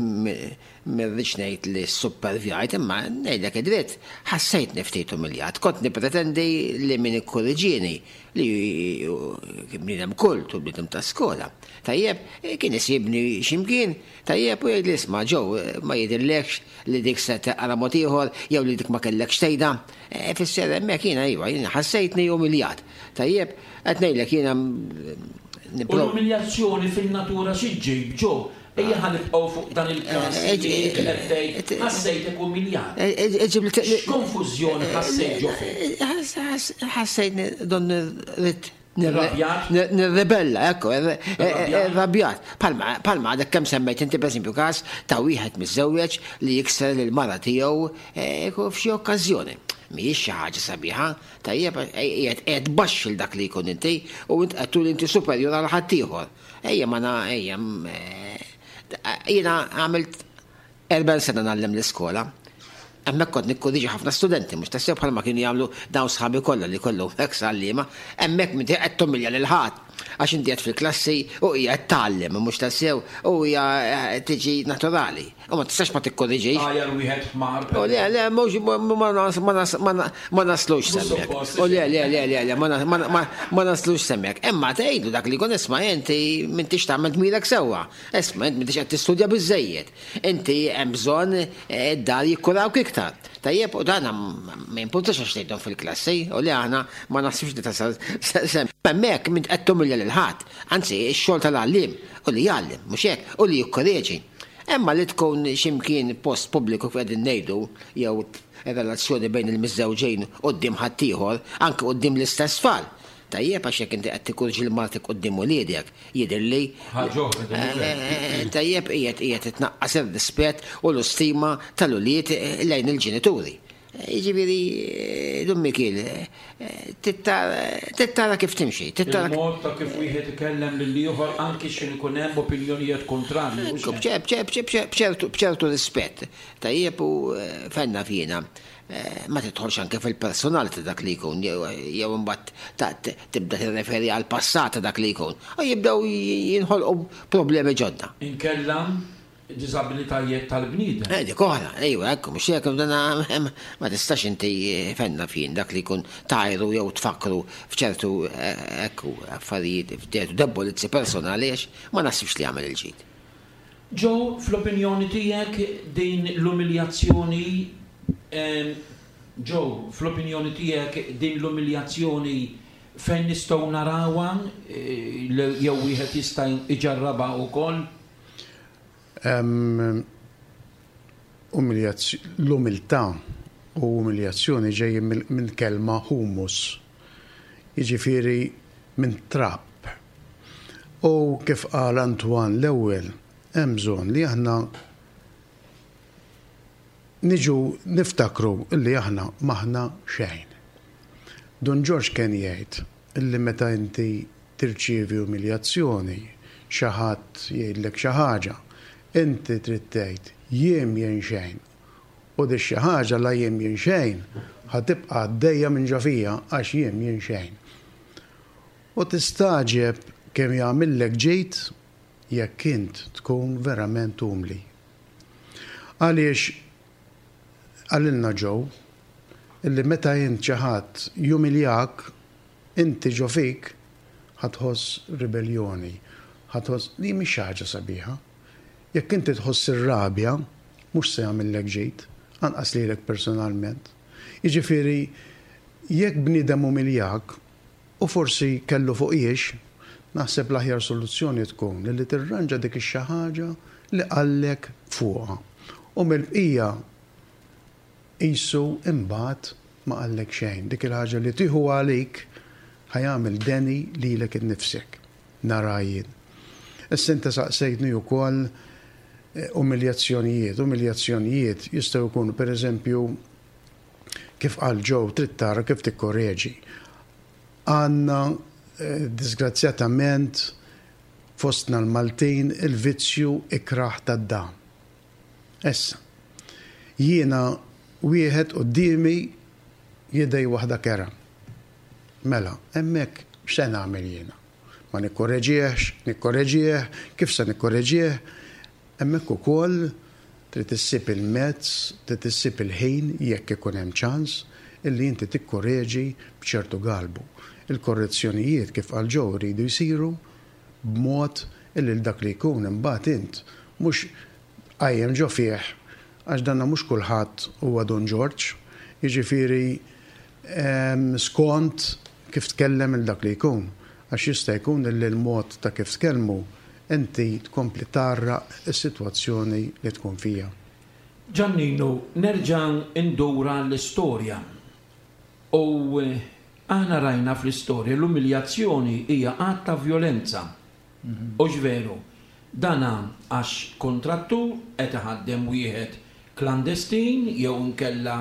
ma rridx ngħid li ssupervjajt, imma ngħidlek id-dritt, ħassejtni ftit umiljat. Kont nippretendi li min ikkurriġini li kien bniedem kult u bniedem ta' skola. Tajjeb, kien isibni x'imkien, tajjeb u jgħidli isma' Joe, ma jidhirlekx li dik se taqra mod ieħor jew li dik ma kellekx tgħidha. Ifisser hemmhekk jiena iva, jiena ħassejtni umiljat. Tajjeb, qed ngħidlek jiena U l-umiljazzjoni fin-natura xi ġġib, Joe? Ejja ħa nibqgħu fuq dan il-każ li inti qed tgħid ħassejtek umiljat. X'konfużjoni ħassejt ġo fik? Ħassejtni don rrid nirrebella, ekku, irrabjat. Palma għadek kemm semmejt inti pereżempju każ ta' wieħed miżżewweġ li jikser lill-mara tiegħu f'xi okkażjoni. Mhijiex xi ħaġa sabiħa, tajjeb, qiegħed qiegħed tbaxxi l dak li jkun inti u int qed turi inti superjur għal ħaddieħor. Ejja ma na ejja jiena għamilt erbgħin sena ngħallem l-iskola. Hemmhekk kont nikkorriġi ħafna studenti, mhux tassew bħalma kienu jagħmlu dawn sħabi kollha li kollhom eks għalliema, hemmhekk m'inti qed tumilja lil ħadd għax inti qed fil-klassi u hija qed tgħallem, mhux tassew u hija tiġi naturali. U ma tistax ma tikkorriġix. Għajar wieħed ħmar. U le, le, mhux ma naslux semmek. U le, le, le, le, le, ma naslux semmek. Imma tgħidu dak li jkun isma' inti m'intix tagħmel dmirek sewwa. Isma' int m'intix qed tistudja biżżejjed. Inti hemm bżonn id-dar jikkurawk iktar. Tajjeb, u dan ma jimpurtax għax tgħidhom fil-klassi, u li aħna ma naħsibx li tasal sem. Hemmhekk m'int qed tumilja lil ħadd, anzi x-xogħol tal-għalliem u li jgħallem, mhux hekk, u li jikkoreġi. Imma li tkun x'imkien post pubbliku kif qegħdin ngħidu, jew relazzjoni bejn il-miżżewġejn quddiem ħaddieħor, anke quddiem l-istess tfal. Tajjeb għax jekk inti qed tikkurġi lil martek quddiem uliedek, jidhirli tajjeb qiegħed qiegħed titnaqqas ir-rispett u l-istima tal-ulied lejn il-ġenituri. Jiġifieri, Dun Mikiel, tittara kif timxi. Il-mod ta' kif wieħed ikellem lil ieħor anki x'in ikun hemm opinjonijiet kontrarji. B'ċertu rispett. Tajjeb u fenna fina. Ma tidħolx anke fil-personal ta' dak li jkun, jew imbagħad tibda tirreferi għal passat ta' dak li jkun. U jibdew jinħolqu problemi ġodda. Inkella diżabilitajiet tal-bniedem. Eh, dik oħra, ejwa, ekku, mhux hekk dan ma tistax inti fenna fin dak li jkun tajru jew tfakru f'ċertu ekku affarijiet f'ċertu debolizzi personali għax ma naħsibx li jagħmel il-ġid. Joe, fl-opinjoni tiegħek din l-umiljazzjoni Joe, fl-opinjoni tiegħek din l-umiljazzjoni fejn nistgħu narawha jew wieħed jista' iġarrabha wkoll? L-umiltà u umiljazzjoni ġejjin minn kelma humus, jiġifieri minn trab. U kif qal Antoine l-ewwel, hemm bżonn li aħna niġu niftakru illi aħna m'aħna xejn. Dun Ġorġ kien jgħid illi meta inti tirċievi umiljazzjoni, xi ħadd jgħidlek xi ħaġa, inti trid tgħid jien jien xejn. U di xi ħaġa la jien jien xejn ħa tibqa' għaddejja minn ġo fija għax jien jien xejn. U tistagħġeb kemm jagħmillek ġid jekk int tkun verament umli. Għaliex qalilna Joe illi meta int xi ħadd jumiljak, inti ġo fik ħa tħoss ribelljoni, ħa tħoss li mhix xi ħaġa sabiħa. Jekk inti tħoss ir-rabja, mhux se jagħmillek ġid, anqas lilek personalment. Jiġifieri jekk bniedem umiljak u forsi kellu fuq jiex, naħseb l-aħjar soluzzjoni tkun li tirranġa dik ix-xi ħaġa li qallek fuqha. U mill-bqija qisu imbagħad ma qallek xejn. Dik il-ħaġa li tieħu għalik ħa jagħmel deni lilek innifsek. Nara jien. Issa inta saqsejtni wkoll eh, umiljazzjonijiet. Umiljazzjonijiet jistgħu jkunu pereżempju kif qal Joe trid tara kif tikkorreġi. Għandna eh, disgrazzjatament fostna l-Maltin il-vizzju ikraħ tad-dam. Issa, jiena wieħed quddiemi jidej waħda kera. Mela, hemmhekk x'se nagħmel jiena? Ma nikkorreġiex, nikkorreġieh, kif se nikkorreġieh? Hemmhekk ukoll trid issib il-mezz, trid issib il-ħin jekk ikun hemm ċans illi inti tikkorreġi b'ċertu galbu. Il-korrezzjonijiet kif qal Joe jridu jsiru b'mod illi dak li jkun imbagħad int mhux qajjem ġo fih għax danna mhux kulħadd huwa Don George, jiġifieri skont kif tkellem il dak li jkun. Għax jista' jkun li l-mod ta' kif tkellmu inti tkompli tgħarraq is-sitwazzjoni li tkun fija. Ġanninu, nerġa' ndura l-istorja. U eh, aħna rajna fl-istorja l-umiljazzjoni hija att ta' violenza. U veru, dana għax kontrattur qed iħaddem wieħed klandestin jew inkella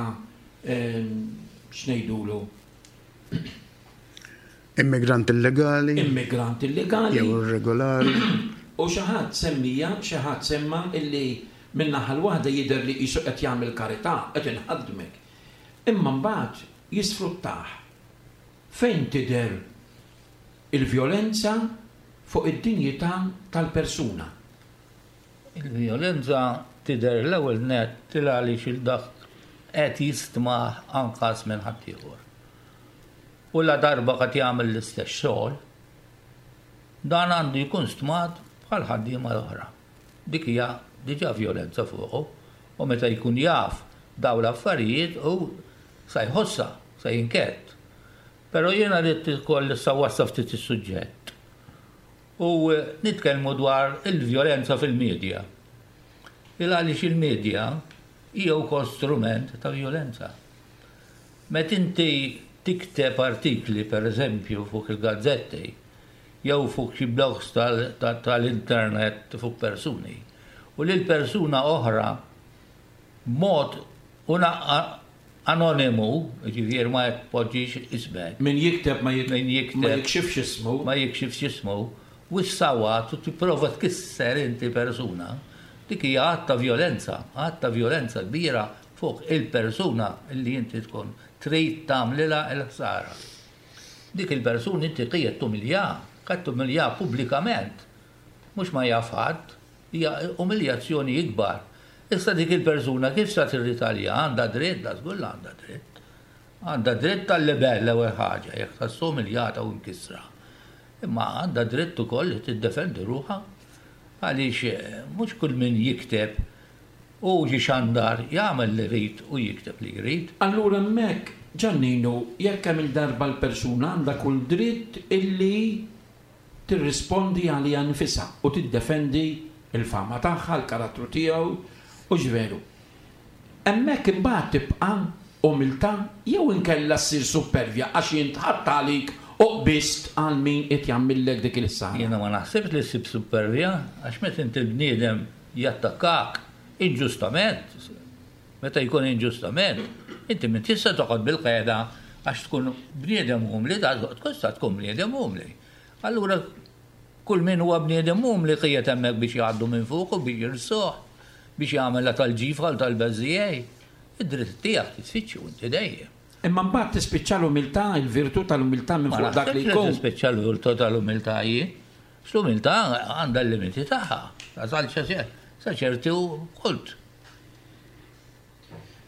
x'ngħidulu Immigrant illegali. Immigrant illegali. Jew irregolari. U xi ħadd semmija, xi ħadd semma illi min-naħa l-waħda jidher li qisu qed jagħmel karità, qed inħaddmek. Imma mbagħad jisfruttah. Fejn tidher il-vjolenza fuq id-dinjità tal-persuna? Il-vjolenza tidher l-ewwel nett għaliex il-dak qed jistmah anqas minn ħaddieħor. U la darba qed jagħmel l-istess xogħol, dan għandu jkun stmat bħal ħaddiema l-oħra. Dik hija diġà vjolenza fuqu u meta jkun jaf daw l-affarijiet u sa jħossa, sa jinkett. Però jiena rrid ukoll issa wassa ftit is-suġġett. U nitkellmu dwar il-vjolenza fil-medja. Il għaliex il-medja hija wkoll strument ta' vjolenza. Met inti tikteb artikli, per eżempju, fuq il-gazzetti, jew fuq xi blogs tal-internet fuq persuni, u lil persuna oħra mod una anonimu, ġifieri ma jpoġġix ismek. Min jikteb ma Min jikteb ma jikxifx ismu. Ma jikxifx ismu, u s-sawat u tipprova tkisser inti persuna, dik hija att ta' vjolenza, att ta' vjolenza kbira fuq il-persuna li inti tkun trid tagħmlilha l-ħsara. Dik il-persuna inti qiegħed tumilja, qed tumilja pubblikament. Mhux ma jaf ħadd, hija umiljazzjoni ikbar. Issa dik il-persuna kif sa tirritalja għandha dritt, da żgur għandha dritt. Għandha dritt tal-libell l-ewwel ħaġa, jekk tħossu umiljata u mkissra. Imma għandha dritt ukoll li tiddefendi ruħha għaliex mhux kull min jikteb u xandar jagħmel li jrid u jikteb li jrid. Allura hemmhekk, Ġanninu, jekk hemm il-darba l-persuna għandha kull dritt illi tirrispondi għaliha nfisha u tiddefendi il-fama tagħha, l-karattru tiegħu, u ġveru. Hemmhekk imbagħad tibqa' umiltà jew inkella ssir supervja għax jintħadd għalik u qbist għal min qed jagħmillek dik il-ħsara. Jiena ma naħsibx li ssib supervja għax meta inti l-bniedem jattakkak inġustament, meta jkun inġustament, inti min tista' toqgħod bil-qeda għax tkun bniedem umli, da tkun sta tkun bniedem umli. Allura kull min huwa bniedem umli qiegħed hemmhekk biex jgħaddu minn fuq u biex jirsuh, biex jagħmel tal-ġifra tal-beżijej. Id-dritt tiegħek titfittxu inti dejjem. Imma mbagħad tispiċċa l-umiltà, il-virtù tal-umiltà minn Ma fuq dak li naħsibx li jkun. tispiċċa l-virtù tal-umiltà hi. L-umiltà għandha l-limiti tagħha. Tasal sa ċertu kult.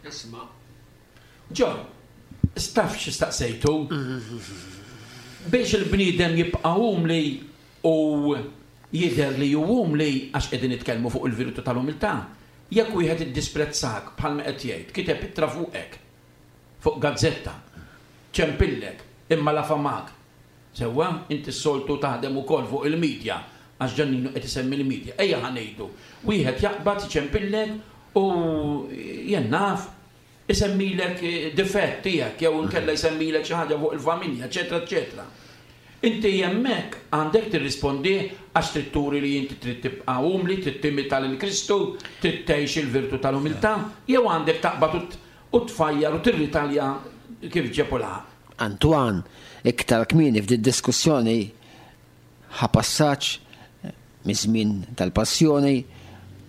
Isma'. Ġo, taf x'staqsejtu? Biex il-bniedem jibqa' umli u jidher li hu umli, għax qegħdin nitkellmu fuq il-virtu tal-umiltà. Jekk wieħed iddisprezzak, bħalma qed jgħid, kiteb ittra fuqek, fuq gazzetta, ċempillek, imma la famak. Sewwa, inti s-soltu taħdem ukoll fuq il-medja, għax Ġanninu qed isemmi l-medja. Ejja ħa ngħidu, wieħed jaqbad iċempillek u jien naf isemmilek difett tiegħek jew inkella jsemmilek xi ħaġa fuq il-familja, eċetera, eċetera. Inti hemmhekk għandek tirrispondi għax trid turi li inti trid tibqa' umli, trid timita lil Kristu, trid tgħix il-virtu tal-umiltà, jew għandek taqbad u tfajjar u tirritalja kif ġepu laħaq? Antoine, iktar kmieni f'din diskussjoni ħa passaġġ miż-żmien tal-passjoni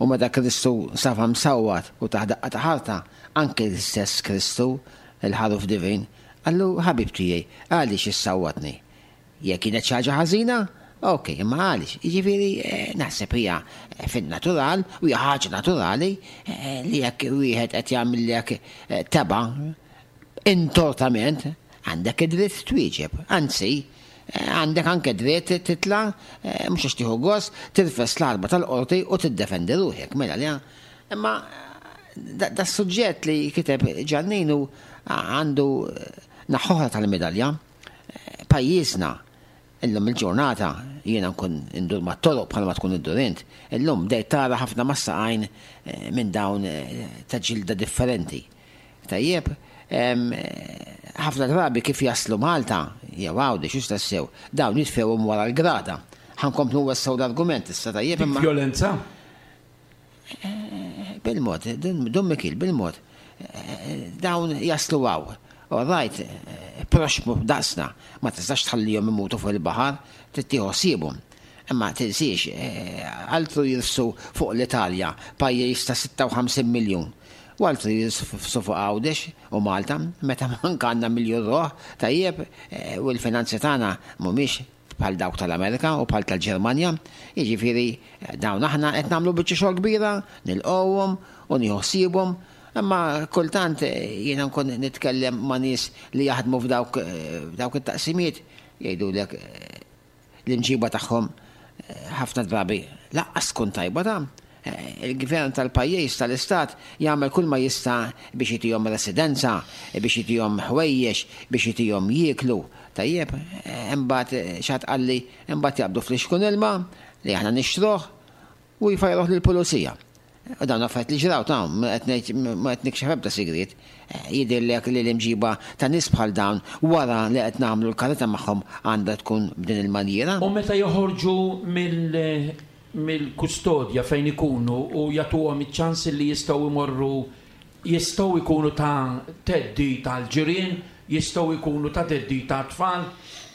u meta Kristu safa msawwat u tah daqqa ta' ħarta, anke l-istess Kristu, il-ħaruf divin, qallu: "Ħabib tiegħi, għaliex issawwatni? Jekk kienet xi ħaġa ħażina, ok, imma għaliex?" Jiġifieri eh, naħseb hija fin-natural u hija ħaġa naturali eh, li jekk wieħed qed jagħmillek eh, tebgħa intortament, għandek id-dritt twieġeb. Anzi, għandek anke dritt titla, mhux għax tieħu gost, tirfes l-għatba tal-qorti u tiddefendi ruħek. Mela li imma da suġġett li kiteb Ġanninu għandu naħa oħra tal-medalja. Pajjiżna illum il-ġurnata, jiena nkun indur mat-toroq bħalma tkun iddur int, illum bdejt tara ħafna mas-saqajn minn dawn ta' ġilda differenti. Tajjeb, ħafna drabi kif jaslu Malta, jew Għawdex, xux tassew, dawn jitfewhom wara l-grada. Ħa nkomplu nwessgħu l-argument issa, tajjeb, imma. Violenza? Bil-mod, Dun Mikil, bil-mod. Dawn jaslu hawn. All right, proxmu daqsna, ma tistax tħallihom imutu fuq il-baħar, trid tieħu ħsiebhom. Imma tinsiex, altru jirfsu fuq l-Italja, pajjiż ta' sitta u ħamsin miljun. U altru jirfsu fuq Għawdex u Malta, meta manka għandna miljun ruħ, tajjeb, u l-finanzi tagħna mhumiex bħal dawk tal-Amerika u bħal tal-Ġermanja. Jiġifieri dawn aħna qed nagħmlu biċċa xogħol kbira, nilqgħuhom u nieħu ħsiebhom, imma kultant jiena nkun nitkellem ma' nies li jaħdmu f'dawk f'dawk it-taqsimiet, jgħidulek l-imġiba tagħhom ħafna drabi lanqas tkun tajba ta'. Il-gvern tal-pajjiż, tal-istat, jagħmel kull ma jista' biex jitihom residenza, biex jitihom ħwejjex, biex jitihom jieklu. Tajjeb, imbagħad xi ħadd qalli imbagħad jaqbdu flixkun ilma li aħna nixtruh u jfajruh lill-pulizija. U dawn affarijiet li ġraw ta', ma qed nikxef ebda sigriet. Jidhirlek li l-imġiba ta' nies bħal dawn, wara li qed nagħmlu l-karità magħhom, għandha tkun b'din il-manjiera? U meta joħorġu mill-kustodja fejn ikunu u jagħtuhom iċ-ċans li jistgħu imorru, jistgħu jkunu ta' theddid tal-ġirien, jistgħu jkunu ta' theddid ta' tfal?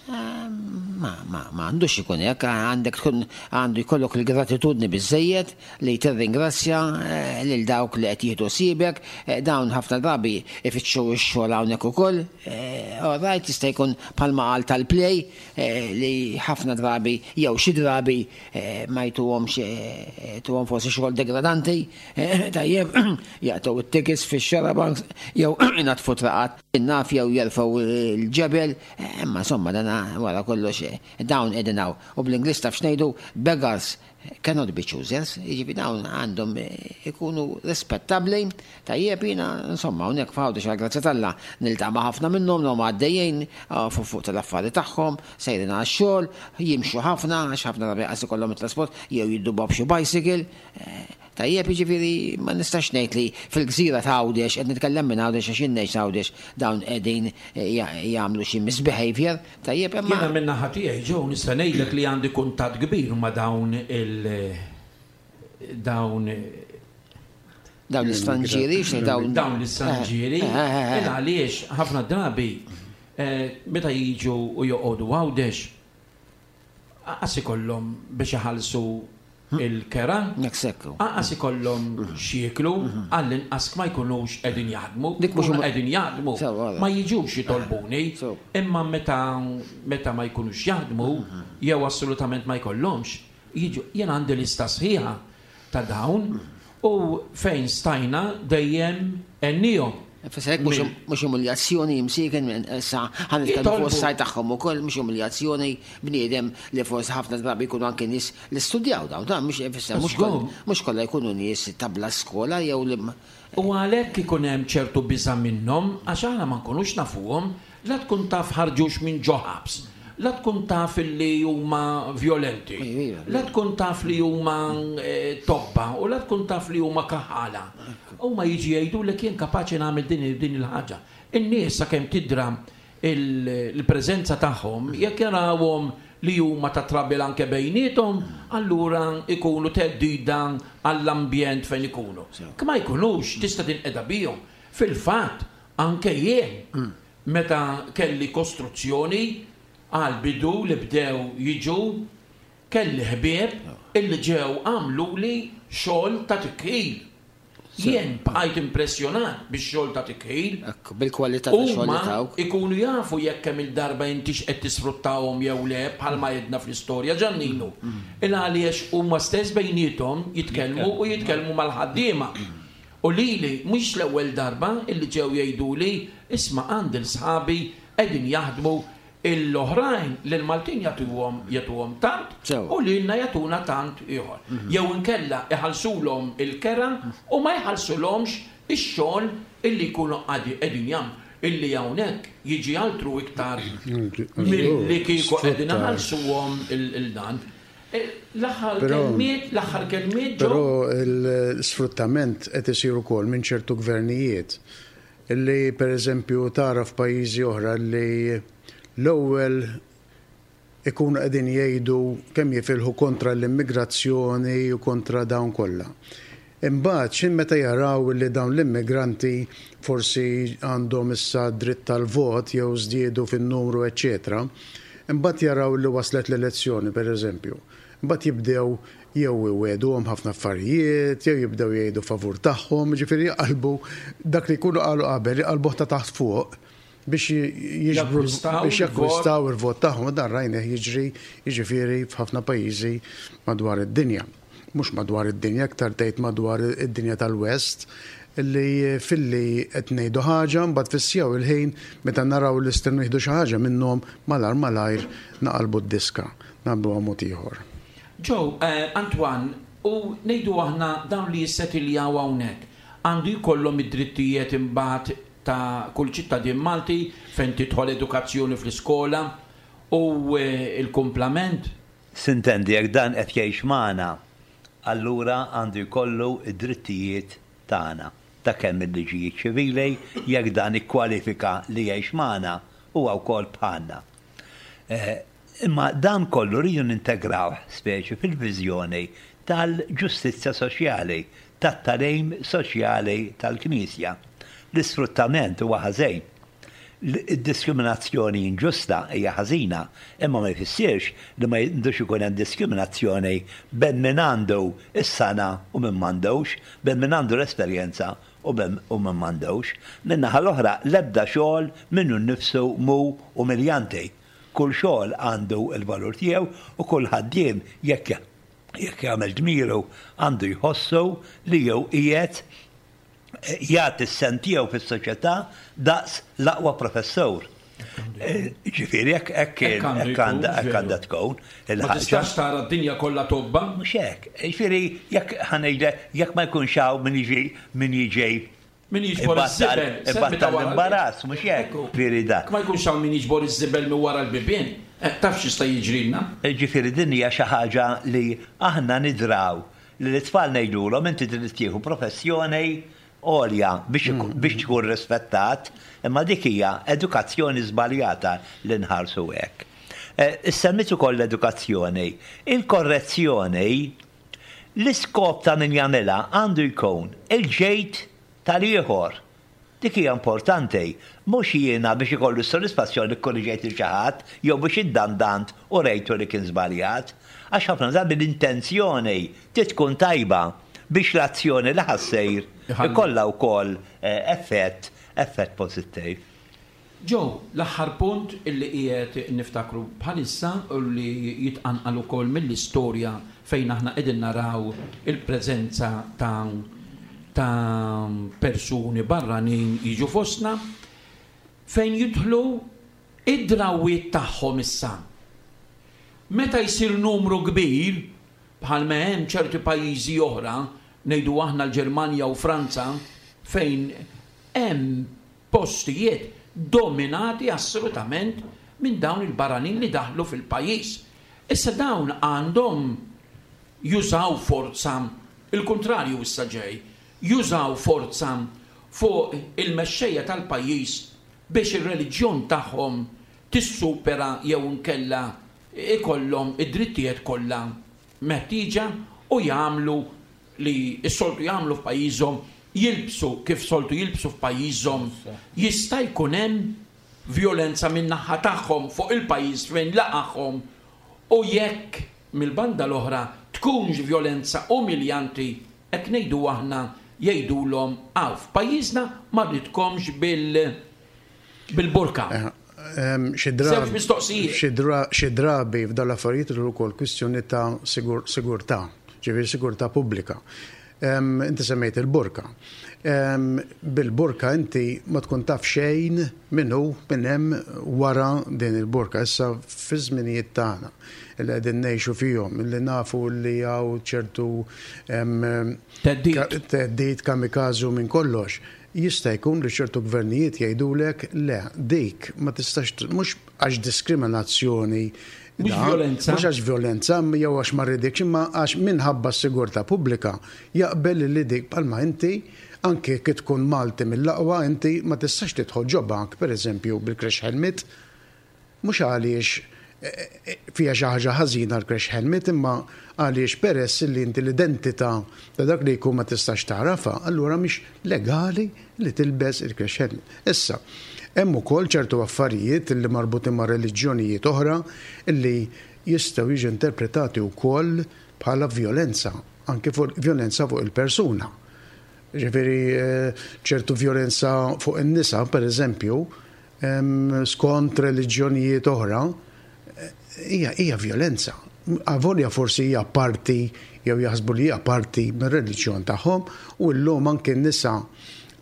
Ma, ma, ma għandux ikun hekk, għandek tkun għandu jkollok il-gratitudni biżejjed li tirringrazzja eh, lil dawk li qed jieħdu ħsiebek, eh, dawn ħafna drabi ifittxu x-xogħol hawnhekk ukoll. Eh, all right, jista' jkun bħalma qal tal-play li ħafna drabi jew xi drabi ma jtuhomx, tuhom forsi xogħol degradanti, tajjeb, jaqtgħu it-tickets fix-xarabanks jew inaddfu traqat in-naf jew jerfgħu l-ġebel, imma insomma dan wara kollox dawn qegħdin hawn. U bl-Ingliż taf x'ngħidu: "Beggars cannot be choosers", jiġifieri dawn għandhom ikunu rispettabbli, tajjeb. Jiena insomma hawnhekk f'Għawdex, għall-grazzja t'Alla, niltaqa' ma' ħafna minnhom huma għaddejjin fuq fuq tal-affari tagħhom, sejrin għax-xogħol, jimxu ħafna għax ħafna drabi qas ikollhom it-trasport jew jiddubaw b'xi bicycle. Tajjeb, jiġifieri ma nistax ngħid li fil-gżira ta' Għawdex, qed nitkellem minn Għawdex għax jien ngħix Għawdex, dawn qegħdin jagħmlu xi misbehavior, tajjeb, imma. Jiena minn naħa tiegħi, ġew, nista' ngħidlek li għandi kuntatt kbir ma' dawn il dawn Dawn l-istranġieri, xi dawn dawn l-istranġieri, għaliex ħafna drabi meta jiġu u joqogħdu Għawdex qas ikollhom biex iħallsu. il-kera, anqas ikollhom x'jieklu, għall-inqas ma jkunux qegħdin jaħdmu, Dik mhux ikunu huma- qegħdin jaħdmu, Sew, għala. ma jiġux jitolbuni, imma meta meta ma jkunux jaħdmu, jew assolutament ma jkollhomx, jiġu, jien għandi lista sħiħa ta' dawn u fejn stajna dejjem għennihom. Fisser hekk mhux mhux umiljazzjoni imsieken minn issa ħa nitkellmu fuq Jitolbu. is-sajt tagħhom ukoll mhux umiljazzjoni bniedem li forsi ħafna drabi jkunu anke nies li studjaw dawn, dan mhux ifisser mhux Żgur. koll- mhux kollha jkunu nies ta' bla skola jew li U għalhekk ikun hemm ċertu biża' minnhom għax aħna ma nkunux nafuhom, la tkun taf ħarġux minn ġo ħabs, la tkun taf li huma violenti, Iva, la tkun taf li huma eh, tobba u la tkun taf li huma kaħala. Huma jiġi jgħidu li kien kapaċi nagħmel din din il-ħaġa. In-nies sakemm tidra il- il-preżenza tagħhom, jekk jarawhom li huma ta' trouble anke bejniethom, allura ikunu theddida għall-ambjent fejn ikunu. Kma jkunux, tista' tinqeda bihom. Fil-fatt, anke jien, meta kelli kostruzzjoni għal bidu li bdew jiġu, kelli ħbieb illi ġew għamlu li xogħol ta' tikħil. Jien bqajt impressjonat bix-xogħol ta' tikħil. Ekku, bil-kwalità ta' xogħol li Huma tawk. ikunu jafu jekk kemm il-darba intix qed tisfruttawhom jew le bħalma jedna fl-istorja Ġanninu. Il għaliex huma stess bejniethom jitkellmu u jitkellmu mal-ħaddiema. U lili mhux l-ewwel darba illi ġew jgħiduli isma' għandi l-sħabi qegħdin jaħdmu l-oħrajn li l-Maltin jagħtuhom jagħtuhom tant Sewa. u lilna jagħtuna tant ieħor. Jew inkella iħallsulhom il-kera u ma jħallsulhomx ix-xogħol illi jkunu qadi qegħdin jagħmlu illi hawnhekk jiġi altru iktar milli kieku qegħdin iħallsuhom il-dan. L-aħħar Però- kelmiet, l-aħħar kelmiet ġew Però l-sfruttament qed isir ukoll minn ċertu gvernijiet illi per eżempju tara f'pajjiżi oħra li l-ewwel ikunu qegħdin jgħidu kemm jifilħu kontra l-immigrazzjoni u kontra dawn kollha. Imbagħad x'in meta jaraw li dawn l-immigranti forsi għandhom issa dritt tal-vot jew żdiedu fin-numru, eċċetera, imbagħad jaraw li waslet l-elezzjoni, per eżempju. Imbagħad jibdew jew iwegħduhom ħafna affarijiet, jew jibdew jgħidu favur tagħhom, ġifieri jaqalbu dak li jkunu qalu qabel, jaqalbuh ta' taħt fuq biex jiġbru Jakkwistaw biex il-vot. jakkwistaw il-vot tagħhom, dan rajnieh jiġri jiġifieri f'ħafna pajjiżi madwar id-dinja. Mhux madwar id-dinja, aktar tgħid madwar id-dinja tal-West, illi filli qed ngħidu ħaġa, mbagħad fis-siegħa il-ħin meta naraw li stennu jieħdu xi ħaġa minnhom malar malajr naqalbu d-diska, naqalbu mod ieħor. Joe, eh, Antoine, u ngħidu aħna dawn li jissetiljaw hawnhekk, għandu jkollhom id-drittijiet imbagħad ta' kull ċittadin Malti fejn tidħol edukazzjoni fl-iskola u eh, il-kumplament. Sintendi, jekk dan qed jgħix magħna, allura għandu jkollu id-drittijiet tagħna. Ta' kemm il-liġijiet ċivili, jekk dan ikkwalifika li jgħix magħna, huwa wkoll bħalna. Eh, Imma dan kollu rridu nintegraw speċi fil-viżjoni tal-ġustizzja soċjali, tat-tagħlim soċjali tal-Knisja. L-isfruttament huwa ħażin. Id-diskriminazzjoni inġusta hija ħażina, imma ma jfissirx li ma jindux ikun hemm diskriminazzjoni bejn min għandu is-sengħa u min m'għandux, bejn min għandu l-esperjenza u bejn u min m'għandux. Min-naħa l-oħra l-ebda xogħol minnu nnifsu mhu umiljanti. Kull xogħol għandu l-valur tiegħu u kull ħaddiem jekk jekk jagħmel dmiru għandu jħossu li jew qiegħed jagħti s-sehem tiegħu fis-soċjetà daqs l-aqwa professur. Eh, Ġifieri jekk hekk Hekk għandu hekk għandha jkun, hekk għandha tkun Ma il-ħaġa. tistax tara d-dinja kollha tobba. Mhux hekk. Ġifieri jekk ħa ngħidlek jekk ma jkunx hawn min jiġi min jiġi Min jiġbor ibattal iż-żibel, semmi ta' ibattal wara l-imbarazz, mhux hekk. Ekku. Ġifieri dak. Ma jkunx hawn min jiġbor iż-żibel minn wara l-bibien. Eh, Taf x'jista' jiġrilna? Ġifieri din hija xi ħaġa li aħna nidraw li l-itfal ngħidulhom inti trid tieħu professjoni għolja biex biex tkun rispettat, imma dik hija edukazzjoni żbaljata li nħarsu hekk. Eh, Issemmit ukoll l-edukazzjoni. Il-korrezzjoni l-iskop ta' min jagħmilha għandu jkun il-ġejt tal-ieħor. Dik hija importanti. Mhux jiena biex ikollu s-sodisfazzjoni li kkorriġejt lil xi ħadd jew biex iddandant u rejtu li kien żbaljat. Għax ħafna drabi l-intenzjoni trid tkun tajba biex l-azzjoni li ħa ssir ikollha wkoll effett effett pożittiv. Joe, l-aħħar punt illi qiegħed niftakru bħalissa u li jitqanqal ukoll mill-istorja fejn aħna qegħdin naraw il-preżenza ta' ta' persuni barranin jiġu fostna, fejn jidħlu id-drawwiet tagħhom issa. Meta jsir numru kbir, bħal ma hemm ċerti pajjiżi oħra, ngħidu aħna l-Ġermanja u Franza, fejn hemm postijiet dominati assolutament minn dawn il-barranin li daħlu fil-pajjiż. Issa dawn għandhom jużaw forza, il-kontrarju issa ġej, jużaw forza fuq il-mexxejja tal-pajjiż biex ir-reliġjon tagħhom tissupera jew inkella ikollhom id-drittijiet kollha meħtieġa u jagħmlu li s-soltu jagħmlu f'pajjiżhom, jilbsu kif soltu jilbsu f'pajjiżhom, jista' jkun hemm vjolenza min-naħa tagħhom fuq il-pajjiż fejn laqagħhom, u jekk mill-banda l-oħra tkunx vjolenza umiljanti, hekk ngħidu aħna jgħidulhom hawn f'pajjiżna ma rridkomx bil-, bil-burka. Xi Żewġ mistoqsijiet. Xi drabi f'dan l-affarijiet li wkoll kwistjoni ta' sigurtà, ġifieri sigurtà pubblika. Inti semmejt il-burka. Bil-burka inti ma tkun taf xejn min hu minn hemm wara din il-burka. Issa fi żminijiet tagħna li qegħdin ngħixu fihom, li nafu li hawn ċertu theddid kamikaze minn kollox, jista' jkun li ċertu gvernijiet jgħidulek le, dik ma tistax, mhux għax diskriminazzjoni, mhux violenza, mhux għax violenza jew għax ma rridekx, imma għax minħabba s-sigurtà pubblika jaqbel li dik bħalma inti anke kif tkun Malti mill-aqwa inti ma tistax tidħol ġo bank pereżempju bil-crash helmet, mhux għaliex fiha xi ħaġa ħażina l-crash helmet, imma għaliex peress li inti l-identità ta' dak li jkun ma tistax tagħrafha, allura mhix legali li tilbes il-crash helmet. Issa, hemm ukoll ċertu affarijiet li marbutin ma' reliġjonijiet oħra li jistgħu jiġu interpretati wkoll bħala vjolenza, anke fuq vjolenza fuq il-persuna. Ġifieri ċertu vjolenza fuq in-nisa, pereżempju, skont reliġjonijiet oħra, hija hija vjolenza. Avolja forsi hija parti jew jaħsbu li hija parti mir-reliġjon tagħhom, u llum anke n-nisa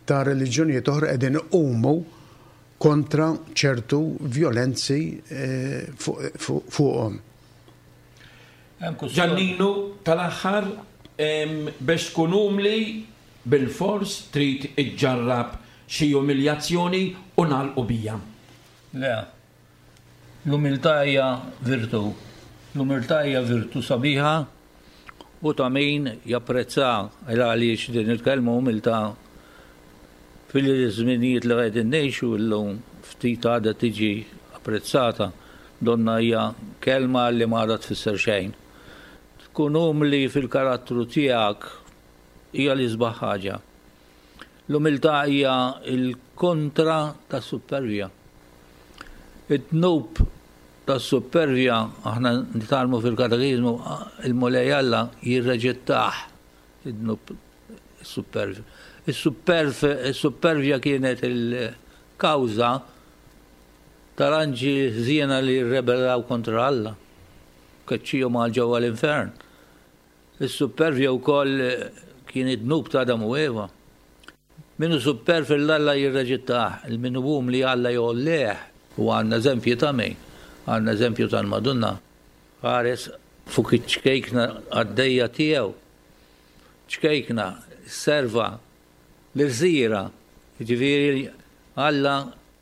ta' reliġjonijiet oħra qegħdin iqumu kontra ċertu vjolenzi fuqhom. Ġanninu, tal-aħħar, biex tkun umli bil-fors trid iġġarrab xi umiljazzjoni u nagħlqu bija. Le, l-umiltà hija virtu. L-umiltà hija virtu sabiħa u ta' min japprezza għaliex din il-kelma umiltà fil-żminijiet li qegħdin ngħixu llum ftit għadha tiġi apprezzata, donna hija kelma li ma għadha tfisser xejn. Tkun umli fil-karattru tiegħek hija l-isbaħ ħaġa. L-umiltà hija l-kontra tas-supervja. Id-dnub tas-supervja aħna nitgħallmu fil-katekiżmu, il-Mulej Alla jirreġettah id-dnub is-supervja. Is-supervja kienet il-kawża tal-anġi ħżiena li rrebellaw kontra Alla, keċċihom għal ġewwa l-infern. Is-supervja wkoll kien id-dnub ta' Adam u Eva. Minu superv l-Alla jirreġettah, il-minu umli Alla jgħolleh. U għandna eżempju ta' min? Għandna eżempju tal-Madonna. Ħares fuq iċ-ċkejkna għaddejja tiegħu. Ċkejkna serva l-irżira, jiġifieri Alla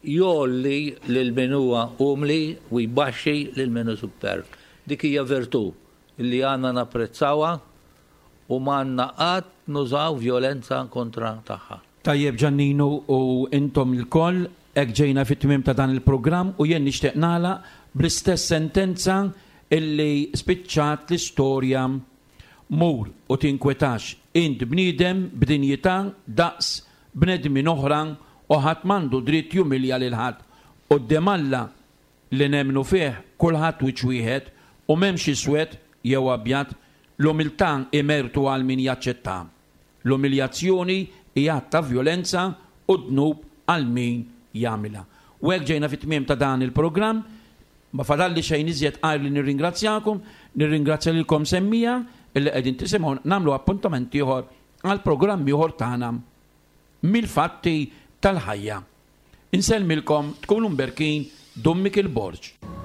jgħolli lil min huwa umli u jbaxxi lil min hu superv. Dik hija virtù li għandna napprezzawha u m'għandna qatt nużaw vjolenza kontra tagħha. Tajjeb Ġanninu u intom ilkoll, hekk ġejna fit-tmiem ta' dan il-programm u jien nixtieq nagħlaq bl-istess sentenza illi spiċċat l-istorja: mur u tinkwetax, int bniedem b'dinjità daqs bnedmin oħra U ħadd m'għandu dritt jumilja lil ħadd. Quddiem Alla li nemmnu fih kulħadd wiċċ wieħed u m'hemmx iswed jew abjad, l-umiltà hi mertu għal min jaċċettha. L-umiljazzjoni hi att ta' vjolenza u dnub għal min jagħmilha. U hekk ġejna fit-tmiem ta' dan il-programm. Ma fadalli xejn iżjed għajr li nirringrazzjakom, nirringrazzja lilkom semmiegħa illi qegħdin tisimgħu nagħmlu appuntament ieħor għal programm ieħor tagħna mill-fatti tal-ħajja. Insellmilkom tkunu mberkin Dun Mikiel Borg.